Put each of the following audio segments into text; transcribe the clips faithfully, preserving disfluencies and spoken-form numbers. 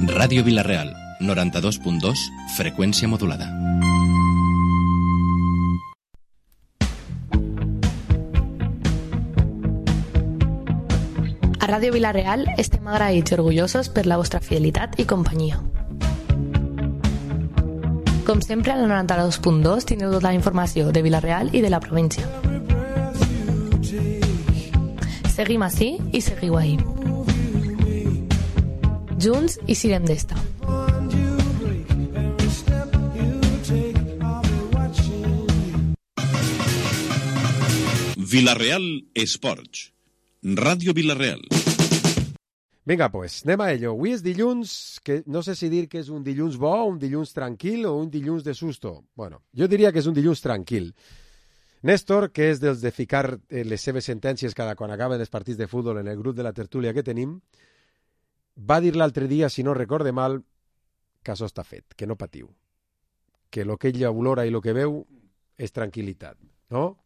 Ràdio Vila-real, noranta-dos punt dos, freqüència modulada. A Ràdio Vila-real estem agraïts i orgullosos per la vostra fidelitat i companyia. Com sempre, al noranta-dos punt dos tindreu tota la informació de Vila-real i de la província. Seguim ací i seguiu ahí. Junts i sirem d'esta. Vila-real Esports. Ràdio Vila-real. Vinga, pues, anem a ello. Avui és dilluns, que no sé si dir que és un dilluns bo, un dilluns tranquil o un dilluns de susto. Bueno, jo diria que és un dilluns tranquil. Néstor, que és dels de ficar les seves sentències cada quan acaben els partits de futbol en el grup de la tertúlia que tenim, va dir l'altre dia, si no recorde mal, que això està fet, que no patiu. Que el que ella olora i el que veu és tranquil·litat, no?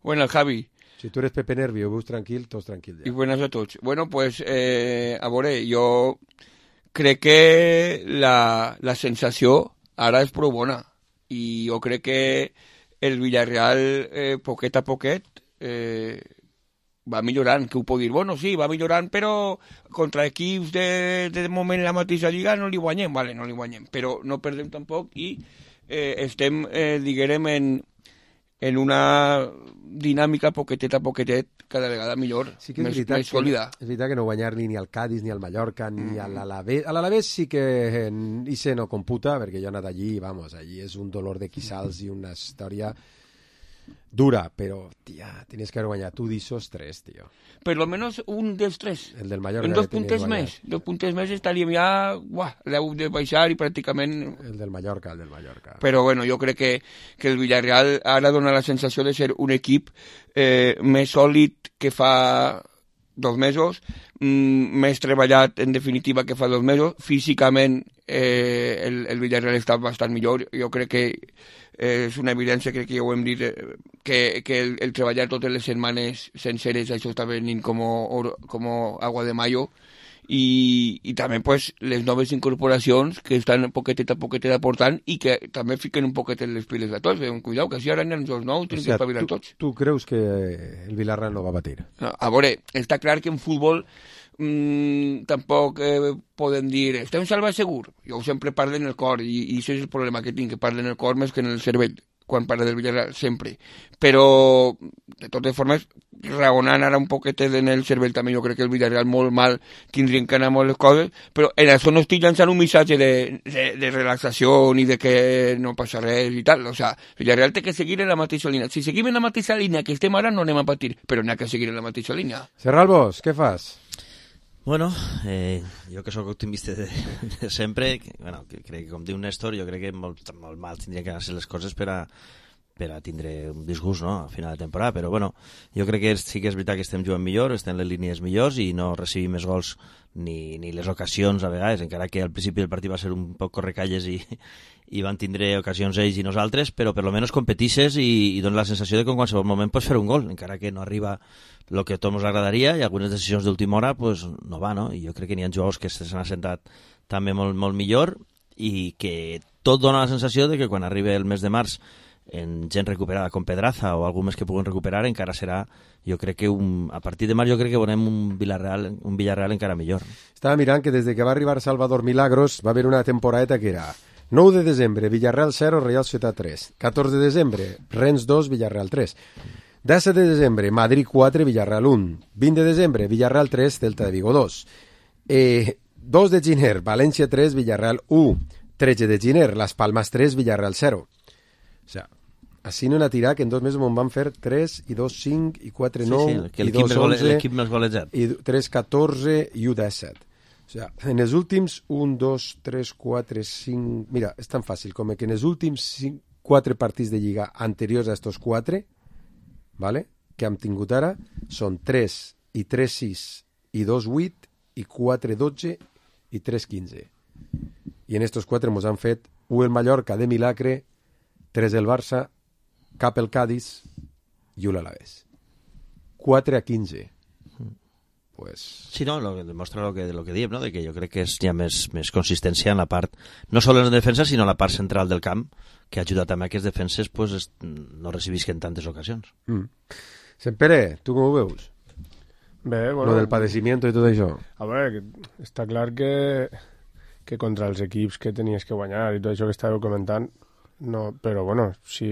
Bueno, Javi. Si tu eres Pepe Nervi o veus tranquil, tots tranquil ja. I buenas a tots. Bueno, pues, eh, a veure, jo crec que la, la sensació ara és prou bona. I jo crec que el Villarreal, eh, poquet a poquet, eh, va millorant, que ho puc dir. Bueno, sí, va millorant, però contra equips de, de moment la mateixa lliga no li guanyem, vale, no li guanyem, però no perdem tampoc i eh, estem, eh, diguem, en, en una dinàmica poquetet a poquetet cada vegada millor, sí que és més, veritat més sòlida. Que, és veritat que no guanyar ni, ni al Cádiz, ni al Mallorca, ni mm. a l'Alavés. A l'Alavés sí que en Ise no computa, perquè jo he anat allí, vamos, allí és un dolor de quissals i una història dura, però, tia, tenies que haver guanyat tu d'Isos tres, tio. Per lo menos un dels tres. El del Mallorca. En dos puntes més. Dos puntes més estaríem ja, uah, l'heu de baixar i pràcticament... El del Mallorca, el del Mallorca. Però bueno, jo crec que, que el Villarreal ara dona la sensació de ser un equip eh, més sòlid que fa dos mesos, mm, més treballat en definitiva que fa dos mesos. Físicament eh, el, el Villarreal està bastant millor. Jo crec que eh, és una evidència, crec que ja ho hem dit, eh, que, que el, el treballar totes les setmanes senceres, això està venint com, com agua de mayo. I, i també pues, les noves incorporacions que estan poquetet a poquetet aportant i que també fiquen un poquet les piles a tots. Veuen, cuidao, que si ara n'hi ha els nous, tenen o sigui, que espavilar tu, tots. Tu creus que el Villarreal no va batir? No, a veure, està clar que en futbol mmm, tampoc eh, podem dir estem salvats segur. Jo sempre parlo en el cor i, i això és el problema que tinc, que parlo en el cor més que en el cervell quan parla del Villarreal, sempre. Però, de totes formes, raonant ara un poquet en el cervell també, jo crec que el Villarreal molt mal tindrien que anar molt les coses, però en això no estic llançant un missatge de, de, de relaxació ni de que no passa res i tal. O sea, el Villarreal té que seguir en la mateixa línia. Si seguim en la mateixa línia que estem ara, no anem a patir, però n'hi ha que seguir en la mateixa línia. Serralbos, què fas? Bueno, eh, jo que sóc optimista de, de sempre, que, bueno, que crec que com diu Néstor, jo crec que molt, molt mal tindrien que anar-se les coses per a, per a tindre un disgust, no?, a final de temporada, però bueno, jo crec que sí que és veritat que estem jugant millor, estem en les línies millors i no recibim més gols ni, ni les ocasions a vegades, encara que al principi del partit va ser un poc correcalles i, i van tindre ocasions ells i nosaltres, però per lo menos competisses i, i dona la sensació de que en qualsevol moment pots fer un gol, encara que no arriba el que a tots ens agradaria i algunes decisions d'última hora pues, no va, no? I jo crec que n'hi ha jugadors que s'han assentat també molt, molt millor i que tot dona la sensació de que quan arribi el mes de març en gent recuperada com Pedraza o algú més que puguen recuperar encara serà, jo crec que un, a partir de març jo crec que veurem un Villarreal, un Villarreal encara millor. Estava mirant que des de que va arribar Salvador Milagros va haver una temporadeta que era nou de desembre, Villarreal zero, Real Societat tres. catorze de desembre, Rennes dos, Villarreal tres. disset de desembre, Madrid quatre, Villarreal un. vint de desembre, Villarreal tres, Celta de Vigo dos. Eh, dos de gener, València tres, Villarreal u. tretze de gener, Las Palmas tres, Villarreal zero. O sea, així no n'ha tirat que en dos mesos me'n van fer tres, i dos, cinc, i quatre, nou, sí, sí, i dos, onze, l'equip més golejat. I tres, catorze, i u, disset. O sea, en els últims un, dos, tres, quatre, cinc... Mira, és tan fàcil com que en els últims cinc, quatre partits de lliga anteriors a estos quatre, ¿vale?, que hem tingut ara, són tres i tres, sis, i dos, vuit, i quatre, dotze, i tres, quinze. I en estos quatre mos han fet u el Mallorca de milagre, tres el Barça, cap el Cádiz i u l'Alavés. quatre a quinze. pues... Sí, no, lo, demostra lo que, lo que diem, no? De que jo crec que és, hi ha més, més consistència en la part, no sols en la defensa, sinó en la part central del camp, que ha ajudat també a que les defenses pues, es, no recibisquen tantes ocasions. Mm. Sempere, tu com ho veus? Bé, bueno... Lo del padecimiento i tot això. A veure, està clar que, que contra els equips que tenies que guanyar i tot això que estàveu comentant, no, però bueno, si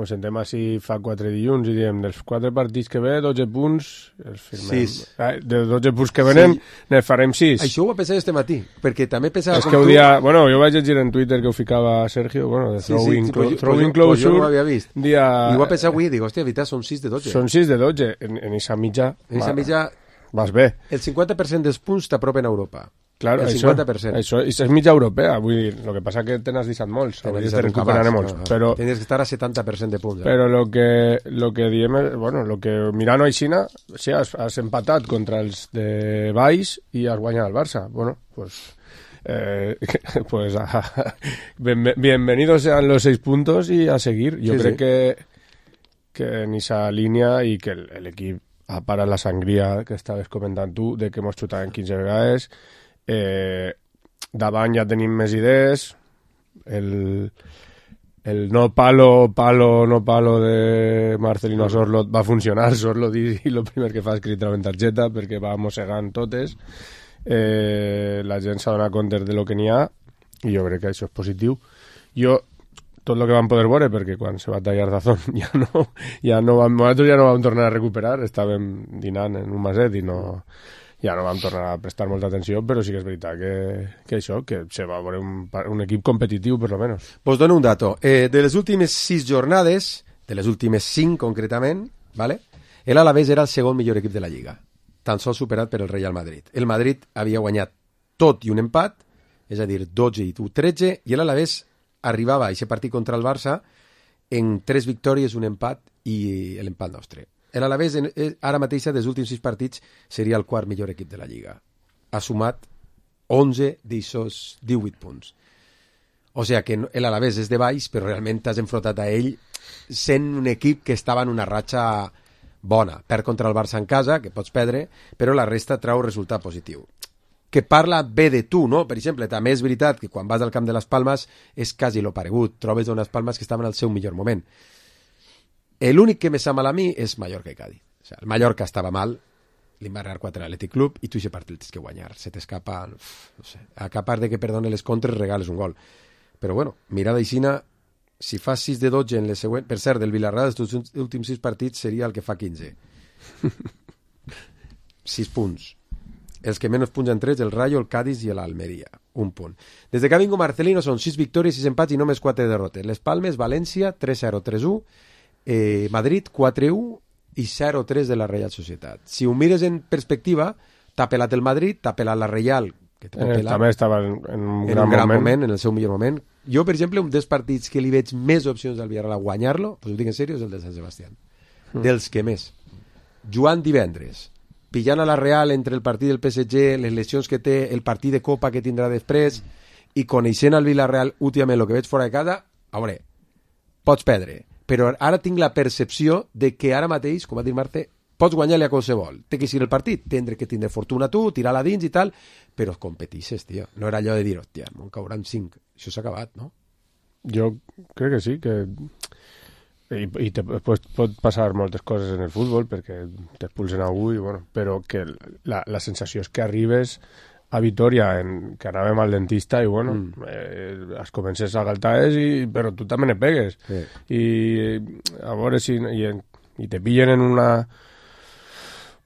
ens sentem així fa quatre dilluns i diem dels quatre partits que ve, dotze punts, els firmem. Sis. Eh, de dotze punts que venen, sí. Ne farem sis. Això ho va pensar este matí, perquè també pensava és com que tu... dia, bueno, jo vaig llegir en Twitter que ho ficava Sergio, bueno, de Sí, throwing, sí, clo pues, throwing pues, closure. pues jo no ho havia vist. Dia... I ho va pensar avui, dic, hòstia, veritat, són sis de dotze. Són sis de dotze, en, en eixa mitja... En eixa mitja... Vas bé. El cinquanta per cent dels punts t'apropen a Europa. Claro, el això, cinquanta per cent. Això, això és mitja europea, vull dir, el que passa que te n'has deixat molts, a vegades te recuperaré molts, no, però... Tenies que estar a setanta per cent de punts. Eh? Però lo que, lo que diem, bueno, lo que mirant aixina, sí, has, has empatat contra els de baix i has guanyat el Barça. Bueno, pues... Eh, pues a, ben, bienvenidos sean los seis puntos y a seguir. Yo sí, creo sí. que, que en esa línea y que el, el equip a parar la sangria que estaves comentant tu, de que hemos xutat en quinze vegades, eh, davant ja tenim més idees, el, el no palo, palo, no palo de Marcelino Sorlot va funcionar, Sorlot i, i el primer que fa és cridar en targeta perquè va mossegant totes, eh, la gent s'ha donat compte de lo que n'hi ha i jo crec que això és positiu. Jo tot el que vam poder veure, perquè quan se va tallar Dazón ja no, ja no vam, nosaltres ja no vam tornar a recuperar, estàvem dinant en un maset i no, ja no vam tornar a prestar molta atenció, però sí que és veritat que, que això, que se va veure un, un equip competitiu, per lo menos. Pues dono un dato. Eh, de les últimes sis jornades, de les últimes cinc concretament, ¿vale? El Alavés era el segon millor equip de la Lliga, tan sols superat per el Real Madrid. El Madrid havia guanyat tot i un empat, és a dir, dotze i tretze, i l'Alavés arribava a aquest partit contra el Barça en tres victòries, un empat i l'empat nostre. L'Alavés ara mateix dels últims sis partits seria el quart millor equip de la Lliga. Ha sumat onze d'aquests divuit punts. O sigui que l'Alavés és de baix, però realment t'has enfrontat a ell sent un equip que estava en una ratxa bona. Perd contra el Barça en casa, que pots perdre, però la resta trau resultat positiu. Que parla bé de tu, no? Per exemple, també és veritat que quan vas al camp de les Palmes és quasi lo paregut, trobes unes Palmes que estaven al seu millor moment. L'únic que me sap mal a mi és Mallorca i Cádiz. O sigui, el Mallorca estava mal, li va regar quatre a l'Atlètic Club i tu aquest partit tens que guanyar. Se t'escapa, no sé, a part de que perdone les contres, regales un gol. Però bueno, mirada aixina, si fas sis de dotze en les següents... Per cert, del Villarreal, els últims sis partits seria el que fa quinze. sis punts. Els que menys punts han tret, el Rayo, el Cádiz i l'Almeria. Un punt. Des de que ha vingut Marcelino són sis victòries, sis empats i només quatre derrotes. Les Palmes, València, tres zero, tres u, eh, Madrid, quatre u i zero tres de la Real Societat. Si ho mires en perspectiva, t'ha pelat el Madrid, t'ha pelat la Real, que t'ha pelat, també estava en, en un en gran, un gran moment. moment, en el seu millor moment. Jo, per exemple, un dels partits que li veig més opcions al Villarreal a guanyar-lo, pues ho dic en sèrio, és el de Sant Sebastián. Mm. Dels que més. Joan divendres, pillant a la Real entre el partit del P S G, les lesions que té, el partit de Copa que tindrà després, i coneixent el Villarreal últimament el que veig fora de casa, a veure, pots perdre, però ara tinc la percepció de que ara mateix, com va dir Marte, pots guanyar-li a qualsevol. Té que ser el partit, tindre que tindre fortuna tu, tirar-la dins i tal, però competixes, tio. No era allò de dir, hòstia, me'n cauran cinc. Això s'ha acabat, no? Jo crec que sí, que... I, i te, pues, pot passar moltes coses en el futbol perquè t'expulsen algú i, bueno, però que la, la sensació és que arribes a Vitoria en, que anàvem al dentista i bueno, mm. eh, es comences a galtaes i, però tu també ne pegues sí. I a veure si i, i te pillen en una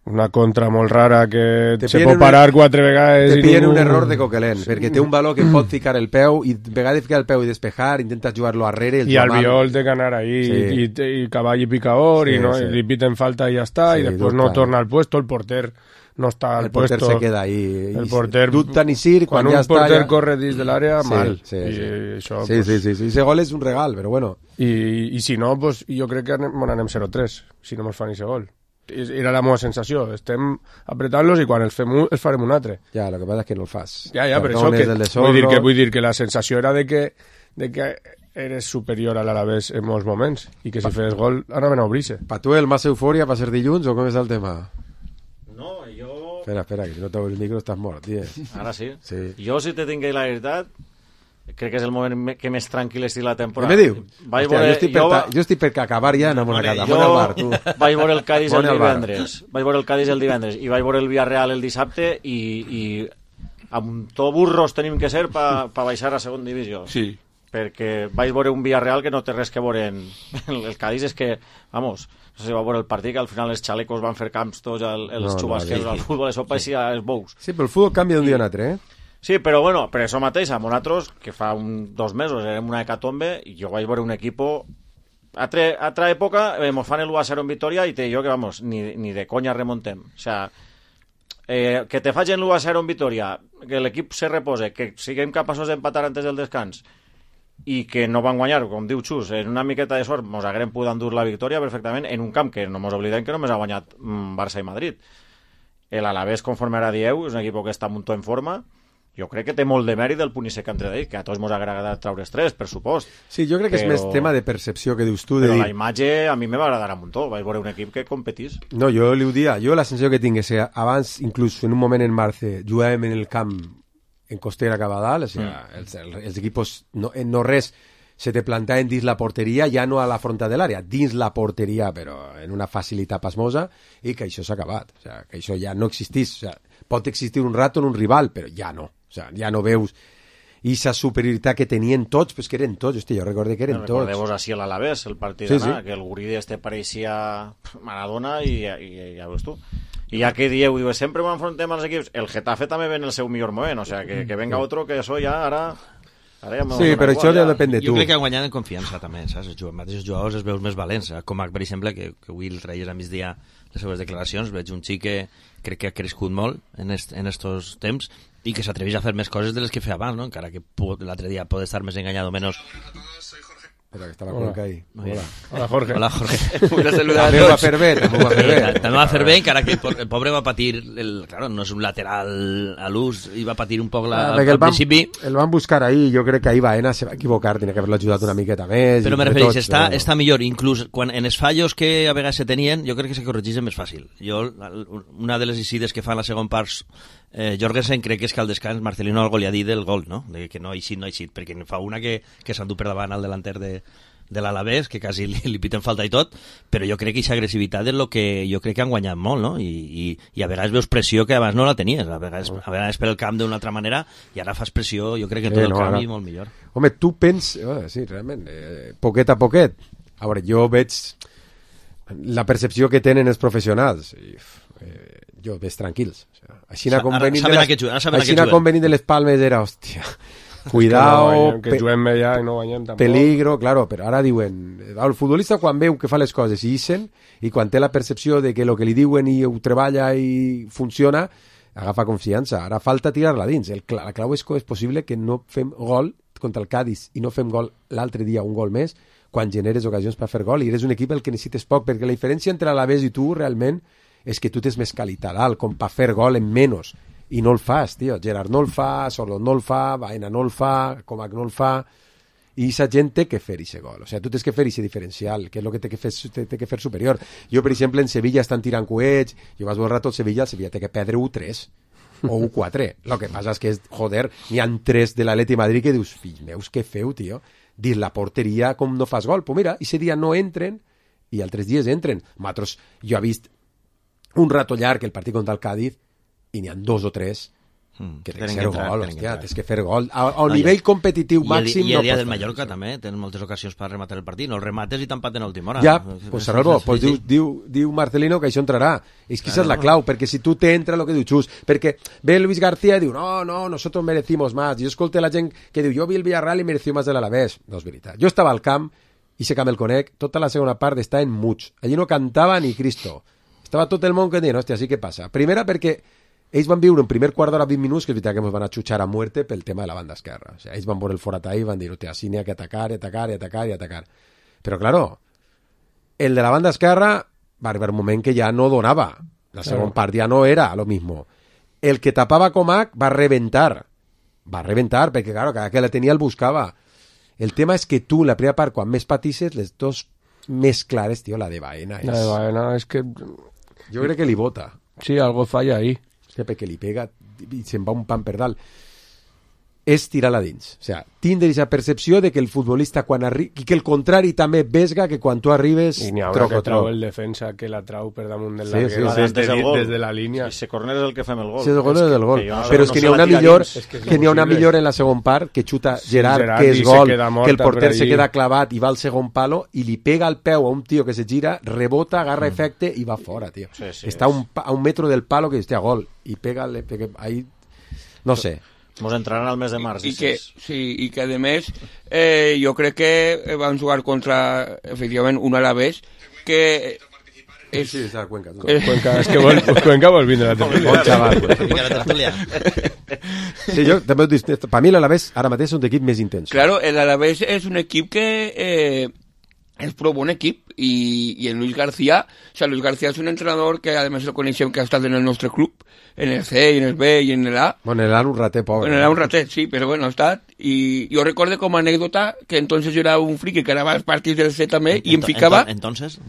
una contra molt rara que te se pot parar un, quatre vegades te i pillen ningú... un error de Coquelin sí. Perquè té un valor que pot ficar el peu i a vegades ficar el peu i despejar, intentas jugar-lo arrere i al Albiol té que anar ahí sí. i, i, i cavall i picador sí, i, no, sí. i li piten falta i ja està sí, i després no torna al puesto, el porter no està al el porter puesto se queda ahí el porter dubta ni sir quan, quan ja un porter ja... corre dins de l'àrea sí, mal sí, I, sí. Això, sí, pues... sí, sí, sí, ese gol és un regal però bueno i, i si no, pues, jo crec que anem, bueno, anem zero tres si no mos fan ese gol era la meva sensació, estem apretant-los i quan els fem un, els farem un altre ja, el que passa és que no el fas ja, ja, per això que, vull, dir que, vull dir que la sensació era de que, de que eres superior a l'Alavés en molts moments i que si fes gol anaven a obrir-se. Per tu el massa eufòria va ser dilluns o com és el tema? No, jo Espera, espera, que si no t'obre el micro estàs mort, tio. Ara sí? Sí. Jo, si te tinc la veritat, crec que és el moment me- que més tranquil estic la temporada. Què me diu? Vaig Hòstia, veure- jo, estic per jo ta... va- jo estic per acabar ja anant a una casa. Jo Bona al bar, tu. vaig veure el Cádiz el Bona al bar. divendres. Vaig veure el Cádiz el divendres i vaig veure el Villarreal el dissabte i, i amb tot burros tenim que ser per pa baixar a segona divisió. Sí. Perquè vaig veure un Villarreal que no té res que veure en el Cádiz, és que, vamos, no sé si va veure el partit, que al final els xalecos van fer camps tots, el, els No, no, xubasqueros sí. al futbol, això pareixia els bous. Sí, però el futbol canvia d'un dia a un altre, eh? Sí, però bueno, per això mateix, amb nosaltres, que fa un, dos mesos érem una hecatombe, i jo vaig veure un equipo... A tre, altra època, eh, mos fan el u a zero en victòria i te digo que, vamos, ni, ni de conya remontem. O sea, eh, que te facin l'u a zero en victòria, que l'equip se repose, que siguem capaços d'empatar antes del descans, i que no van guanyar, com diu Xus, en una miqueta de sort mos haguem pogut endur la victòria perfectament en un camp que no mos oblidem que només ha guanyat mm, Barça i Madrid. El Alavés, conforme ara dieu, és un equip que està molt en forma. Jo crec que té molt de mèrit del punt i sec entre d'ell, que a tots mos ha agradat treure estrès, per supost. Sí, jo crec que és Però- més tema de percepció que dius tu. De Però dir... la imatge a mi me va agradar a muntó. Vaig veure un equip que competís. No, jo li ho dia. Jo la sensació que tinc és que abans, inclús en un moment en març, jugàvem en el camp en costera cap a dalt, o sigui, mm. els, els equipos no, en no res se te plantaven dins la porteria, ja no a la fronta de l'àrea, dins la porteria, però en una facilitat pasmosa, i que això s'ha acabat. O sigui, que això ja no existís. O sigui, pot existir un rato en un rival, però ja no. O sigui, ja no veus aquesta superioritat que tenien tots, pues que eren tots. Hosti, jo recordo que eren tots. Recordeu-vos així a l'Alavés, el partit Sí, d'anar, sí. que el guridi este pareixia Maradona i, i, i ja veus tu. I ja que dieu, diu, sempre ho enfrontem als equips, el Getafe també ve en el seu millor moment, o sea, que, que venga otro, que això ja ara... ara ja Sí, però això ja depèn de tu. Jo Jo crec crec que que guanyant en confiança també, saps? Els mateixos jugadors els veus més valents, com per exemple, que, que avui el traies a migdia les seves declaracions, veig un xic que crec que ha crescut molt en, est, en estos temps i que s'atreveix a fer més coses de les que feia abans, no? Encara que l'altre dia pot estar més enganyat o menos. Espera, que està la Cuenca ahí. Hola. Hola, Jorge. Hola, Jorge. Una saludada a També ho va tots. fer bé, també ho va fer bé. També va fer bé, encara que el po- el pobre va patir, el, claro, no és un lateral a l'ús, i va patir un poc la, Ah, perquè al el van, principi, el van buscar ahí, jo crec que ahí Baena se va equivocar, tenia que haver-lo ajudat una miqueta més. però i me entre refereix, tots, està, però- està millor, inclús quan en els fallos que a vegades se tenien, jo crec que se corregís més fàcil. Jo, una de les incides que fa en la segona part, eh, Jorgensen crec que és que al descans Marcelino algo li ha dit del gol, no? De que no ha eixit, no ha eixit, perquè fa una que, que s'endú per davant al delanter de, de l'Alavés, que quasi li, li piten falta i tot, però jo crec que aquesta agressivitat és el que jo crec que han guanyat molt, no? I, i, i a vegades veus pressió que abans no la tenies, a vegades, a vegades per el camp d'una altra manera, i ara fas pressió, jo crec que Sí, tot el no, camp ara- i molt millor. Home, tu pens... Oh, sí, realment, eh, poquet a poquet. A veure, jo veig la percepció que tenen els professionals. I, eh, jo veig tranquils. O sea, així Sa- com ara venint saben de a què juguen, ara saben a què així juguen. com venint de les Palmes era, hòstia, Que, cuidao, no guanyem, que pe- juguem bé ja i no guanyem tampoc. peligro, claro, però ara diuen, el futbolista quan veu que fa les coses i ixen, i quan té la percepció de que el que li diuen i ho treballa i funciona, agafa confiança. Ara falta tirar-la dins. El, cla- la clau és que és possible que no fem gol contra el Cádiz i no fem gol l'altre dia, un gol més, quan generes ocasions per fer gol, i eres un equip el que necessites poc, perquè la diferència entre l'Alavés i tu realment és que tu tens més qualitat alt, com per fer gol en menys, i no el fas, tio. Gerard no el fa, Sordo no el fa, Baena no el fa, Comac no el fa, i aquesta gent té que fer aquest gol. O sigui, tu tens que fer aquest diferencial, que és el que té que fer, té, té que fer superior. Jo, per exemple, en Sevilla estan tirant coets, jo vas veure tot Sevilla, el Sevilla té que perdre u tres o u quatre. El que passa és que, és, joder, n'hi ha tres de l'Atleti Madrid que dius, fills meus, què feu, tio? Dins la porteria com no fas gol. Pues mira, aquest dia no entren i altres dies entren. Nosaltres, jo he vist un rato llarg el partit contra el Cádiz i n'hi ha dos o tres Mm, que té que tenen ser que entrar, gol, tenen que hòstia, entrar. tens que fer gol. A, a No, nivell i- competitiu I el, màxim i el no dia pots del fer Mallorca això. també tenen moltes ocasions per rematar el partit, no el remates i t'empaten a última hora. Ja, És- pues és- Salvo, és- pues sí, diu, sí. diu, diu Marcelino que això entrarà. És que Claro. esa és la clau, perquè si tu t'entra el que diu Xus, perquè ve Luis García i diu, no, no, nosotros merecimos más. Jo escolto la gent que diu, jo vi el Villarreal i mereció más de l'Alavés. No és veritat. Jo estava al camp, i se camp el conec, tota la segona part està en muts. Allí no cantava ni Cristo. Estava tot el món que deia, hòstia, sí que passa. Primera perquè ells van viure un primer quart d'hora, vint minuts, que és veritat que ens van atxutxar a muerte pel tema de la banda esquerra. O sigui, ells van veure el forat i van dir, hòstia, sí n'hi ha que atacar, i atacar, i atacar, i atacar. Però, claro, el de la banda esquerra va arribar un moment que ja no donava. La segona part ja no era lo mismo. El que tapava Comac va reventar. Va reventar, perquè, claro, cada que la tenia el buscava. El tema és que tu, en la primera part, quan més patisses, les dos més clares, tio, la de Baena. És... La de Baena es que Jo crec que li vota. sí, algo falla ahí. que perquè li pega i se'n va un pan per dalt, és tirar-la dins. O sigui, tindre aquesta percepció de que el futbolista quan arriba, i que el contrari també vesga que quan tu arribes i n'hi ha troco, que trau troco. el defensa que la trau per damunt del Sí, larguer, sí, sí. des, Des del gol. des de la línia. Si se corner és el que fem el gol. Sí, el gol és del gol. que jo no sé- Però és no que sé n'hi ha la una tira millor, dins. És que és que n'hi ha una impossible. millor en la segon part, que xuta Gerard, Gerard que i és se gol, queda que el morta porter per se allí. queda clavat i va al segon palo i li pega al peu a un tio que se gira, rebota, agarra efecte i va fora, tio. Sí, sí, Està a és- un, pa- a un metro del palo que hostia, gol. I pega, le pega ahí... No sé. Mos entraran al mes de març. I, I que, sí, i que a més eh, jo crec que van jugar contra efectivament un Alavés que és, Sí, està a Cuenca. Tu. eh, Cuenca, és que vol, Cuenca vol vindre a la tertúlia. Bon xaval. Vinga, la tertúlia. Sí, jo també ho dic, per mi l'Alavés ara mateix és un equip més intens. claro, el Alavés és un equip que eh, és prou bon equip i, i en Luis García, o sea, Luis García és un entrenador que además lo coneixem que ha estat en el nostre club, en el C, en el B i en el A. Bueno, el un rater pobre. Bueno, era un ratet, sí, pero bueno, ha estat. I jo recorde com a anècdota que entonces yo era un friki que anava als partits del C també i em Ento- ficava... ento- Entonces...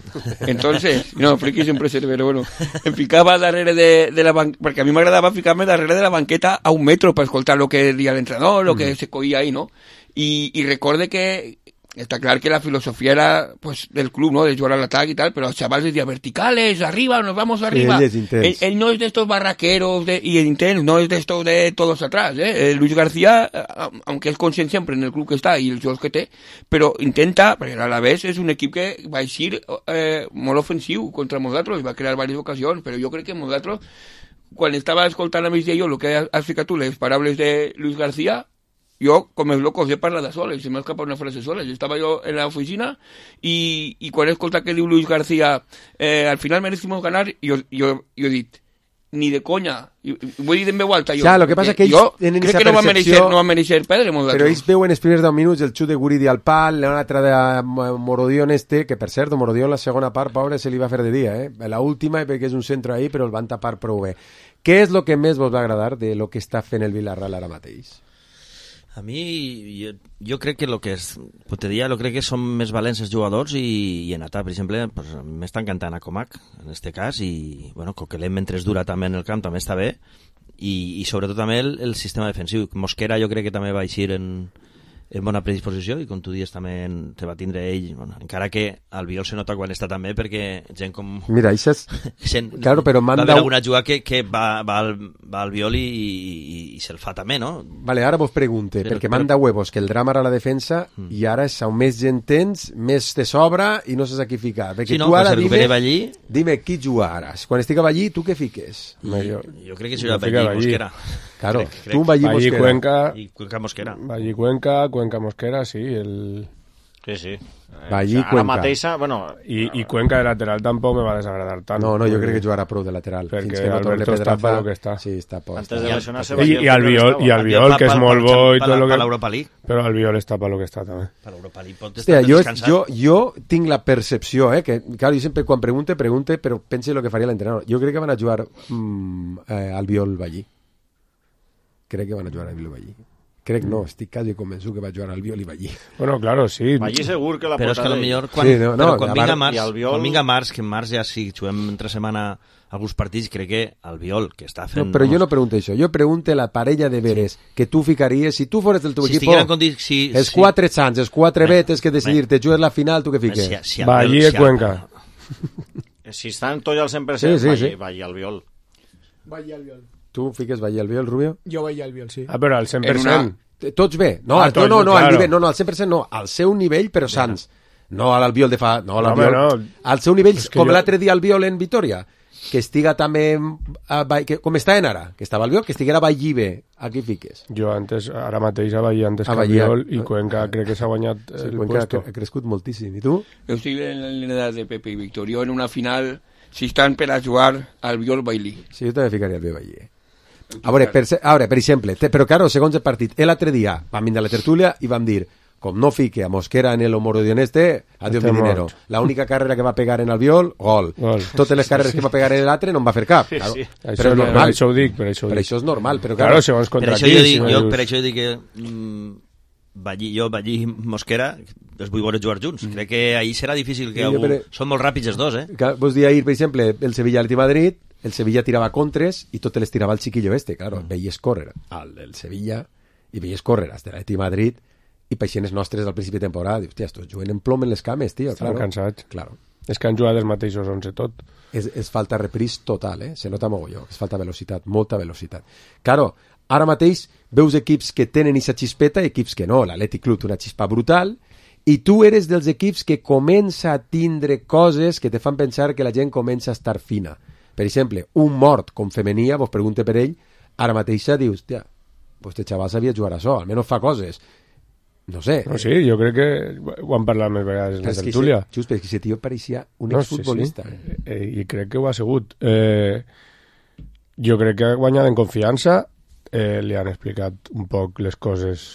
Entonces, no, friki sempre seré, però bueno, em ficava darrere de, de la banqueta, perquè a mi m'agradava ficar-me darrere de la banqueta a un metro per escoltar lo que deia l'entrenador, lo que se coïa ahí, no? I, i recorde que està clar que la filosofia era pues, del club, ¿no? De jugar al ataque y tal, pero los chavales decían verticales, arriba, nos vamos arriba. Él es intenso. Él, él no es de estos barraqueros de, y el intenso, no es de estos de todos atrás, ¿eh? Eh, Luis García, eh, aunque es conscient siempre en el club que está y el jugador que té, però intenta, perquè a la vez és un equip que va eixir eh, molt ofensiu contra nosaltres, va crear diverses ocasions, però jo crec que nosaltres, quan estava escoltant a mig de jo el que has ficat tu, les paraules de Luis García, jo, com els locos, he parlat de soles, se m'ha escapat una frase soles. Estava jo en l'oficina i, i quan he escoltat que diu Luis García eh, al final merecimos ganar, jo, jo, jo he dit, ni de conya. I, ho he dit en veu alta. Jo, Ja, lo que passa que ells jo tenen crec esa que no va percepció- mereixer, no va mereixer perdre molt Però ells veuen els primers deu minuts el xut de Guridi al pal, una altra de Morodion este, que per cert, Morodion la segona part, pobre, se li va fer de dia, eh? La última, perquè és un centre ahí, però el van tapar prou bé. Què és el que més vos va agradar de lo que està fent el Villarreal ara mateix? A mi, jo, jo crec que el que és, pues te diria, jo crec que són més valents els jugadors i, i en atac, per exemple, pues, m'està encantant a Comac, en este cas, i, bueno, Coquelin mentre es dura també en el camp també està bé, i, i sobretot també el, el sistema defensiu. Mosquera jo crec que també va eixir en, en bona predisposició, i com tu dius també en, se va tindre ell, bueno, encara que al Biol se nota quan està també, perquè gent com... Mira, això és... Gent, Claro, però va manda haver un- alguna jugada que, que va, va, al, va al Biol i, i, i se'l fa també, no? Vale, ara vos pregunte, Però- perquè però- manda huevos que el drama era la defensa Mm. i ara és on més gent tens, més te sobra i no saps a qui ficar. Perquè Sí, no, tu ara pues el dime, recupere Ballí. dime qui juga ara. Quan estic a Ballí, tu què fiques? I, jo, jo crec que jo serà fica Ballí, Ballí. Mosquera. Claro, Crec, crec. tu un Ballí, Ballí, Mosquera. Cuenca, I Cuenca Mosquera. Ballí, Cuenca, Cuenca, Mosquera, sí, el... Sí, sí. Ballí, Ara Cuenca. mateixa, bueno... I, i Cuenca de lateral tampoc me va desagradar tant. No, no, jo crec que jugarà prou de lateral. Perquè Fins que no torni Alberto està Pedraza, pa lo que està. Sí, està po, Antes està. de I- lesionar-se... I, Ballí i al Biol, i al Biol, que és molt bo i tot lo Per que... l'Europa League. Però al Biol està per lo que està també. Per l'Europa League pot Hòstia, estar jo, descansat. jo, jo tinc la percepció, eh, que, claro, jo sempre quan pregunte, pregunte, però pense el que faria l'entrenador. Jo crec que van a jugar mm, eh, al Biol Ballí. Crec que van a jugar al Biol Ballí. Crec no, estic quasi convençut que va jugar al Biol i Ballí. Bueno, claro, sí. Ballí segur que la Però és que portada... potser quan, Sí, no, no, però quan a vinga part- març, i al Biol- quan vinga març, que en març ja sí, juguem entre setmana alguns partits, crec que el Biol, que està fent... No, però jo vamos, no pregunto això, jo pregunto la parella de veres que tu ficaries, si tu fores del teu si equip, estigueren condi... si, els si, quatre Sants, els quatre Bé, Betes que decidir-te, jugues la final, tu què fiques? Si, si el Ballí Biol- i si el- Cuenca. Si estan tots al cent per cent, Sí, sí, Ballí, sí. Ballí al Biol. Ballí al Biol. Tu fiques Ballí al Biol, Rubio? Jo Ballí al Biol, sí. Ah, però al cent per cent. En una- Tots bé. No, Ah, al, no, tots no, bé, no, al claro. nivell, no, no, al cent per cent no, al seu nivell, però Sants. No a l'Albiol de fa... No, a No, l'Albiol. home, no. Al seu nivell, És que com jo- l'altre dia Albiol en Vitoria, que estiga també... A, Ba- que, com està en ara, que estava Albiol, que estiguera Ballí bé. Aquí fiques. Jo antes, ara mateix a Ballí, antes A que al Ballí, Biol, eh? i Cuenca crec que s'ha guanyat Sí, el Cuenca ha, puesto. ha crescut moltíssim. I tu? Jo estic en la línia de Pepe i Víctor. Jo en una final, si estan per a jugar al Biol Bailí. Sí, jo també ficaria el bé Ballí. Eh? A veure, per, se- a veure, per exemple, te, però claro, segons el partit, l'altre dia vam vindre a la tertúlia i vam dir, com no fique a Mosquera en el Homorodion este, adiós mi Estem dinero. morts. La única carrera que va pegar en Albiol, gol. Gol. Totes les carreres que va pegar en l'altre no en va fer cap. Claro. sí. Però Això, és no, normal. això ho dic, per això ho Per dic. això és normal, però Claro, claro, segons Per contra això qui, jo si dic, no jo, dius- per això jo dic que mm, Ballí, jo, Ballí i Mosquera els vull veure jugar junts. Crec que ahir serà difícil que Sí, jo algú... per- Són molt ràpids els dos, eh? que vos dir ahir, per exemple, el Sevilla Atleti Madrid, el Sevilla tirava contres i tot les tirava el xiquillo este, claro, mm. veies córrer al del Sevilla i veies córrer als de l'Atleti Madrid i peixenes nostres al principi de temporada, dius, hòstia, estos juguen en plom en les cames, tio. Estan claro. cansats. Claro. És que han jugat els mateixos onze tot. És, és falta repris total, eh? Se nota mogolló, és falta velocitat, molta velocitat. Claro, ara mateix veus equips que tenen aquesta xispeta i equips que no. L'Atlètic Club té una xispa brutal i tu eres dels equips que comença a tindre coses que te fan pensar que la gent comença a estar fina. Per exemple, un mort com Femenia, vos pregunte per ell, ara mateix dius, hòstia, pues este xaval sabia jugar a això, almenys fa coses. No sé. No, sí, jo crec que ho han parlat més vegades en la tertúlia. Just perquè aquest tio pareixia un no, exfutbolista. Sí, sí. Eh, I crec que ho ha sigut. Eh, jo crec que ha guanyat en confiança, eh, li han explicat un poc les coses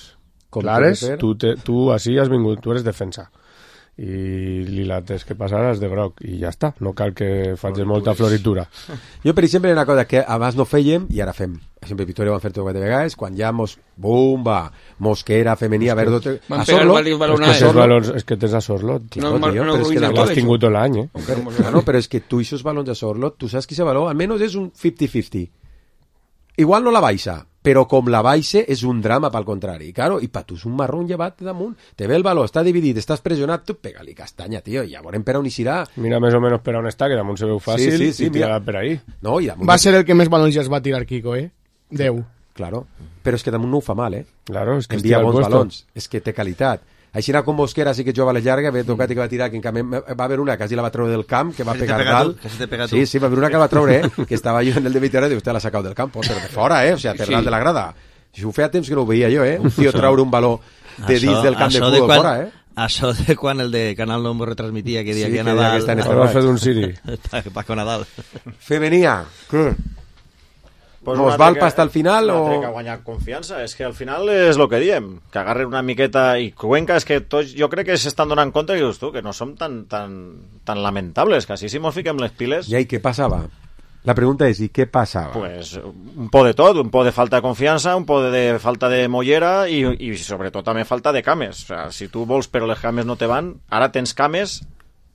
com clares. Tu, te, tu així has vingut, tu eres defensa. I li lates que passaràs de groc i ja està, no cal que facis molta floritura. Jo, per exemple, una cosa que abans no fèiem i ara fem. Per exemple, Victoria ho han fet quatre vegades, quan ja mos, bumba, Mosquera, Femenia, Verdo... A Sorlot. És que, tens valors, és que tens a Sorlot. Claro, no, tío, no, però és que l'has tingut tot l'any, eh? Claro, però és que tu aquests balons a Sorlot, tu saps que aquest valor almenys és un cinquanta cinquanta. Igual no la baixa, però com la baixa és un drama pel contrari. Claro, i pa tu és un marrón llevat damunt. Te ve el valor, està dividit, estàs pressionat, tu pega-li castanya, tio, i ja veurem per on hi serà. Mira més o menys per on està, que damunt se veu fàcil, sí, sí, sí, i tirarà per ahí. No, i damunt... Va ser el que més balons ja es va tirar Kiko, eh? Deu. Claro, però és que damunt no ho fa mal, eh? Claro, és que envia bons balons, és que té qualitat. Així com Mosquera sí que jugava a les llargues, ve tocat i que va tirar, que en canvi va haver una, quasi la va treure del camp, que va que pegar dalt. Sí, sí, va haver una que la va treure, eh? Que estava jo en el de Vitoria i usted l'ha sacat del camp, però de fora, eh? O sigui, per sí. Dalt de la grada. Si ho feia temps que no ho veia jo, eh? Un tio treure un baló de dins això, del camp de futbol fora, eh? Això de quan el de Canal no m'ho retransmitia, que dia sí, que, que Nadal... Sí, que va fer d'un Siri. Paco Nadal. Femenia, què? Pues ¿Nos val hasta el final o...? o...? Que guanyar confiança, és que al final és el que diem, que agarren una miqueta i Cuenca, és que tots, jo crec que s'estan donant compte que, tu, que no som tan, tan, tan lamentables, que així si mos fiquem les piles... I què passava? La pregunta és, i què passava? Pues un po de tot, un po de falta de confiança, un po de falta de mollera i, i sobretot també falta de cames. O sea, si tu vols però les cames no te van, ara tens cames...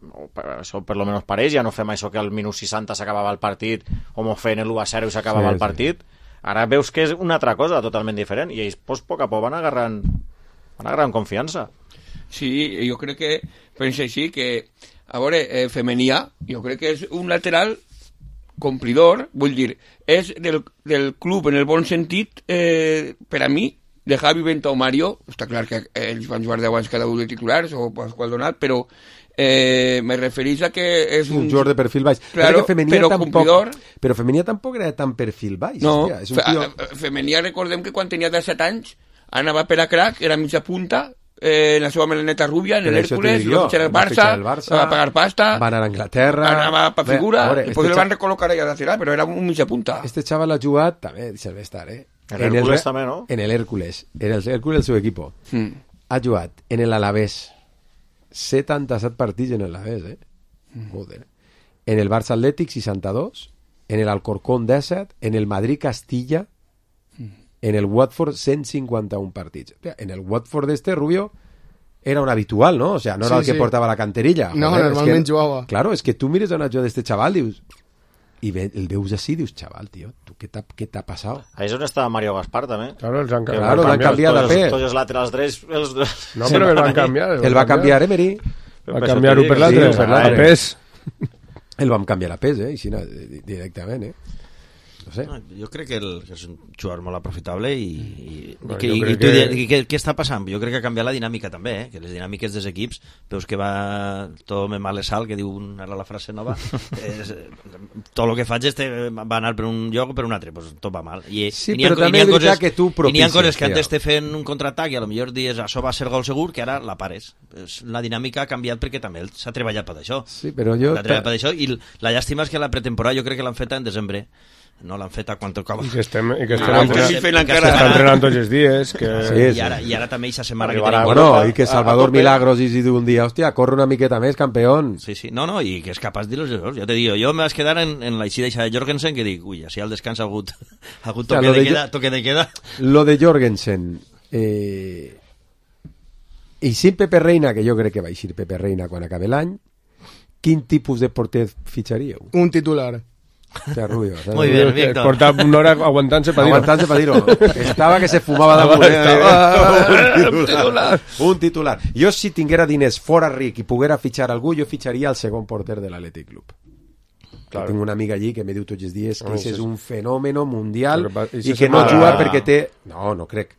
això per lo menos pareix, ja no fem això que al minut seixanta s'acabava el partit o m'ho feien l'u a zero i s'acabava sí, el partit sí. Ara veus que és una altra cosa totalment diferent i ells pues, poc a poc van agarrant van agarrant confiança. Sí, jo crec que penso així que a veure, eh, Femenia jo crec que és un lateral complidor, vull dir és del, del club en el bon sentit eh, per a mi de Javi, Benta o Mario, està clar que ells van jugar deu anys cada un de titulars o Pasqual Donat, però eh, me referís a que és un, un jugador de perfil baix, claro, que però tampoc, complidor. Però Femenia tampoc era tan perfil baix, no, hòstia, és un tio... Fe, Femenia recordem que quan tenia disset anys anava per a crack, era mitja punta eh, en la seva melaneta rúbia, en l'Hèrcules, i va fitxar el Barça, Barça, va pagar pasta, va anar a Anglaterra, anava per figura, veure, i després este el van recol·locar allà a lateral, però era un mitja punta. Este xaval ha jugat, també, deixa'l estar, eh? En el Hércules també, no? En el Hércules, en el Hércules el seu equipo. Mm. Ha jugat en l'Alavés setanta-set partits en l'Alavés, eh? Mm. Joder. En el Barça Atlètic seixanta-dos, en el Alcorcón disset, en el Madrid Castilla, mm. en el Watford cent cinquanta-un partits. En el Watford este Rubio era un habitual, ¿no? O sea, no era sí, el que sí. portava la canterilla. No, joder, normalment es que, jugava. Claro, es que tu mires a una jugada d'este xaval, dius... I ve, el veus així, dius, xaval, tio, tu, què t'ha passat? Ahí és on està Mario Gaspar, també. Claro, els han, claro, l'han canviat de fer. Tots els laterals drets... Els... No, però el van canviar. El va canviar Emery. Va canviar-ho per l'altre, per l'altre, pes. El vam canviar a pes, eh, així, directament, eh. No sé. No, jo crec que, el, que és un jugador molt aprofitable i, i, no, i, que, i, i, que... i què, què està passant? Jo crec que ha canviat la dinàmica també, eh? Que les dinàmiques dels equips, veus que va tot me male sal, que diu un, ara la frase nova, és, tot el que faig este, va anar per un lloc o per un altre, pues, tot va mal. I, sí, i però ha, també és veritat que tu propicies. I n'hi ha coses que antes te fent un contraatac i a lo millor dius això va ser gol segur, que ara la pares. La dinàmica ha canviat perquè també s'ha treballat per això. Sí, però jo... L'ha treballat per això i la llàstima és que la pretemporada jo crec que l'han feta en desembre. No l'han fet a quan tocava. I que estem, i que estem, ah, entrenant, que que que estem entrenant tots els dies. Que... Sí, sí. I, ara, I ara també eixa setmana que tenim... Bueno, i que Salvador Milagros i si diu un dia, hòstia, corre una miqueta més, campeón. Sí, sí, no, no, i que és capaç de dir els errors. Jo te digo, jo me vas quedar en, en la eixida de Jorgensen que dic, ui, així al descans ha hagut, ha hagut toque, o sea, de, de queda, toque de queda. Lo de Jorgensen, eh... i sin Pepe Reina, que jo crec que va eixir Pepe Reina quan acabi l'any, quin tipus de porter fitxaríeu? Un titular. Hòstia, Rubio. Muy bien, Víctor. Porta una hora aguantant-se per dir-ho. Aguantant-se per dir-ho. Estava que se fumava damunt. Eh? Un titular. Un titular. Jo, si tinguera diners fora ric i poguera fitxar algú, jo fitxaria el segon porter de l'Atlètic Club. Claro. Tinc una amiga allí que me diu tots els dies que és un fenòmeno mundial i que no juga perquè té... No, no crec.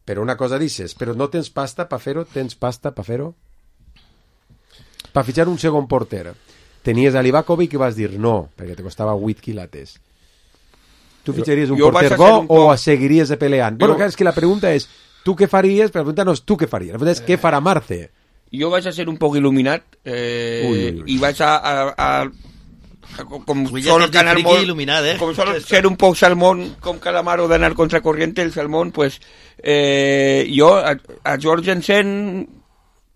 Però una cosa dices, però no tens pasta per fer-ho? Tens pasta per fer-ho? Per fitxar un segon porter. Tenies a Livakovic i vas dir no, perquè te costava vuit quilates. Tu fitxaries un jo porter bo un o seguiries peleant? Jo... Bueno, clar, és que la pregunta és tu què faries, però la pregunta no és tu què faries, la pregunta és què farà Marce. Jo vaig a ser un poc il·luminat eh, ui, ui, ui. i vaig a... a, a com, com sol ganar molt eh? com sol ser un poc salmón com Calamaro d'anar contra corriente el salmón pues eh, jo a, a Jorgensen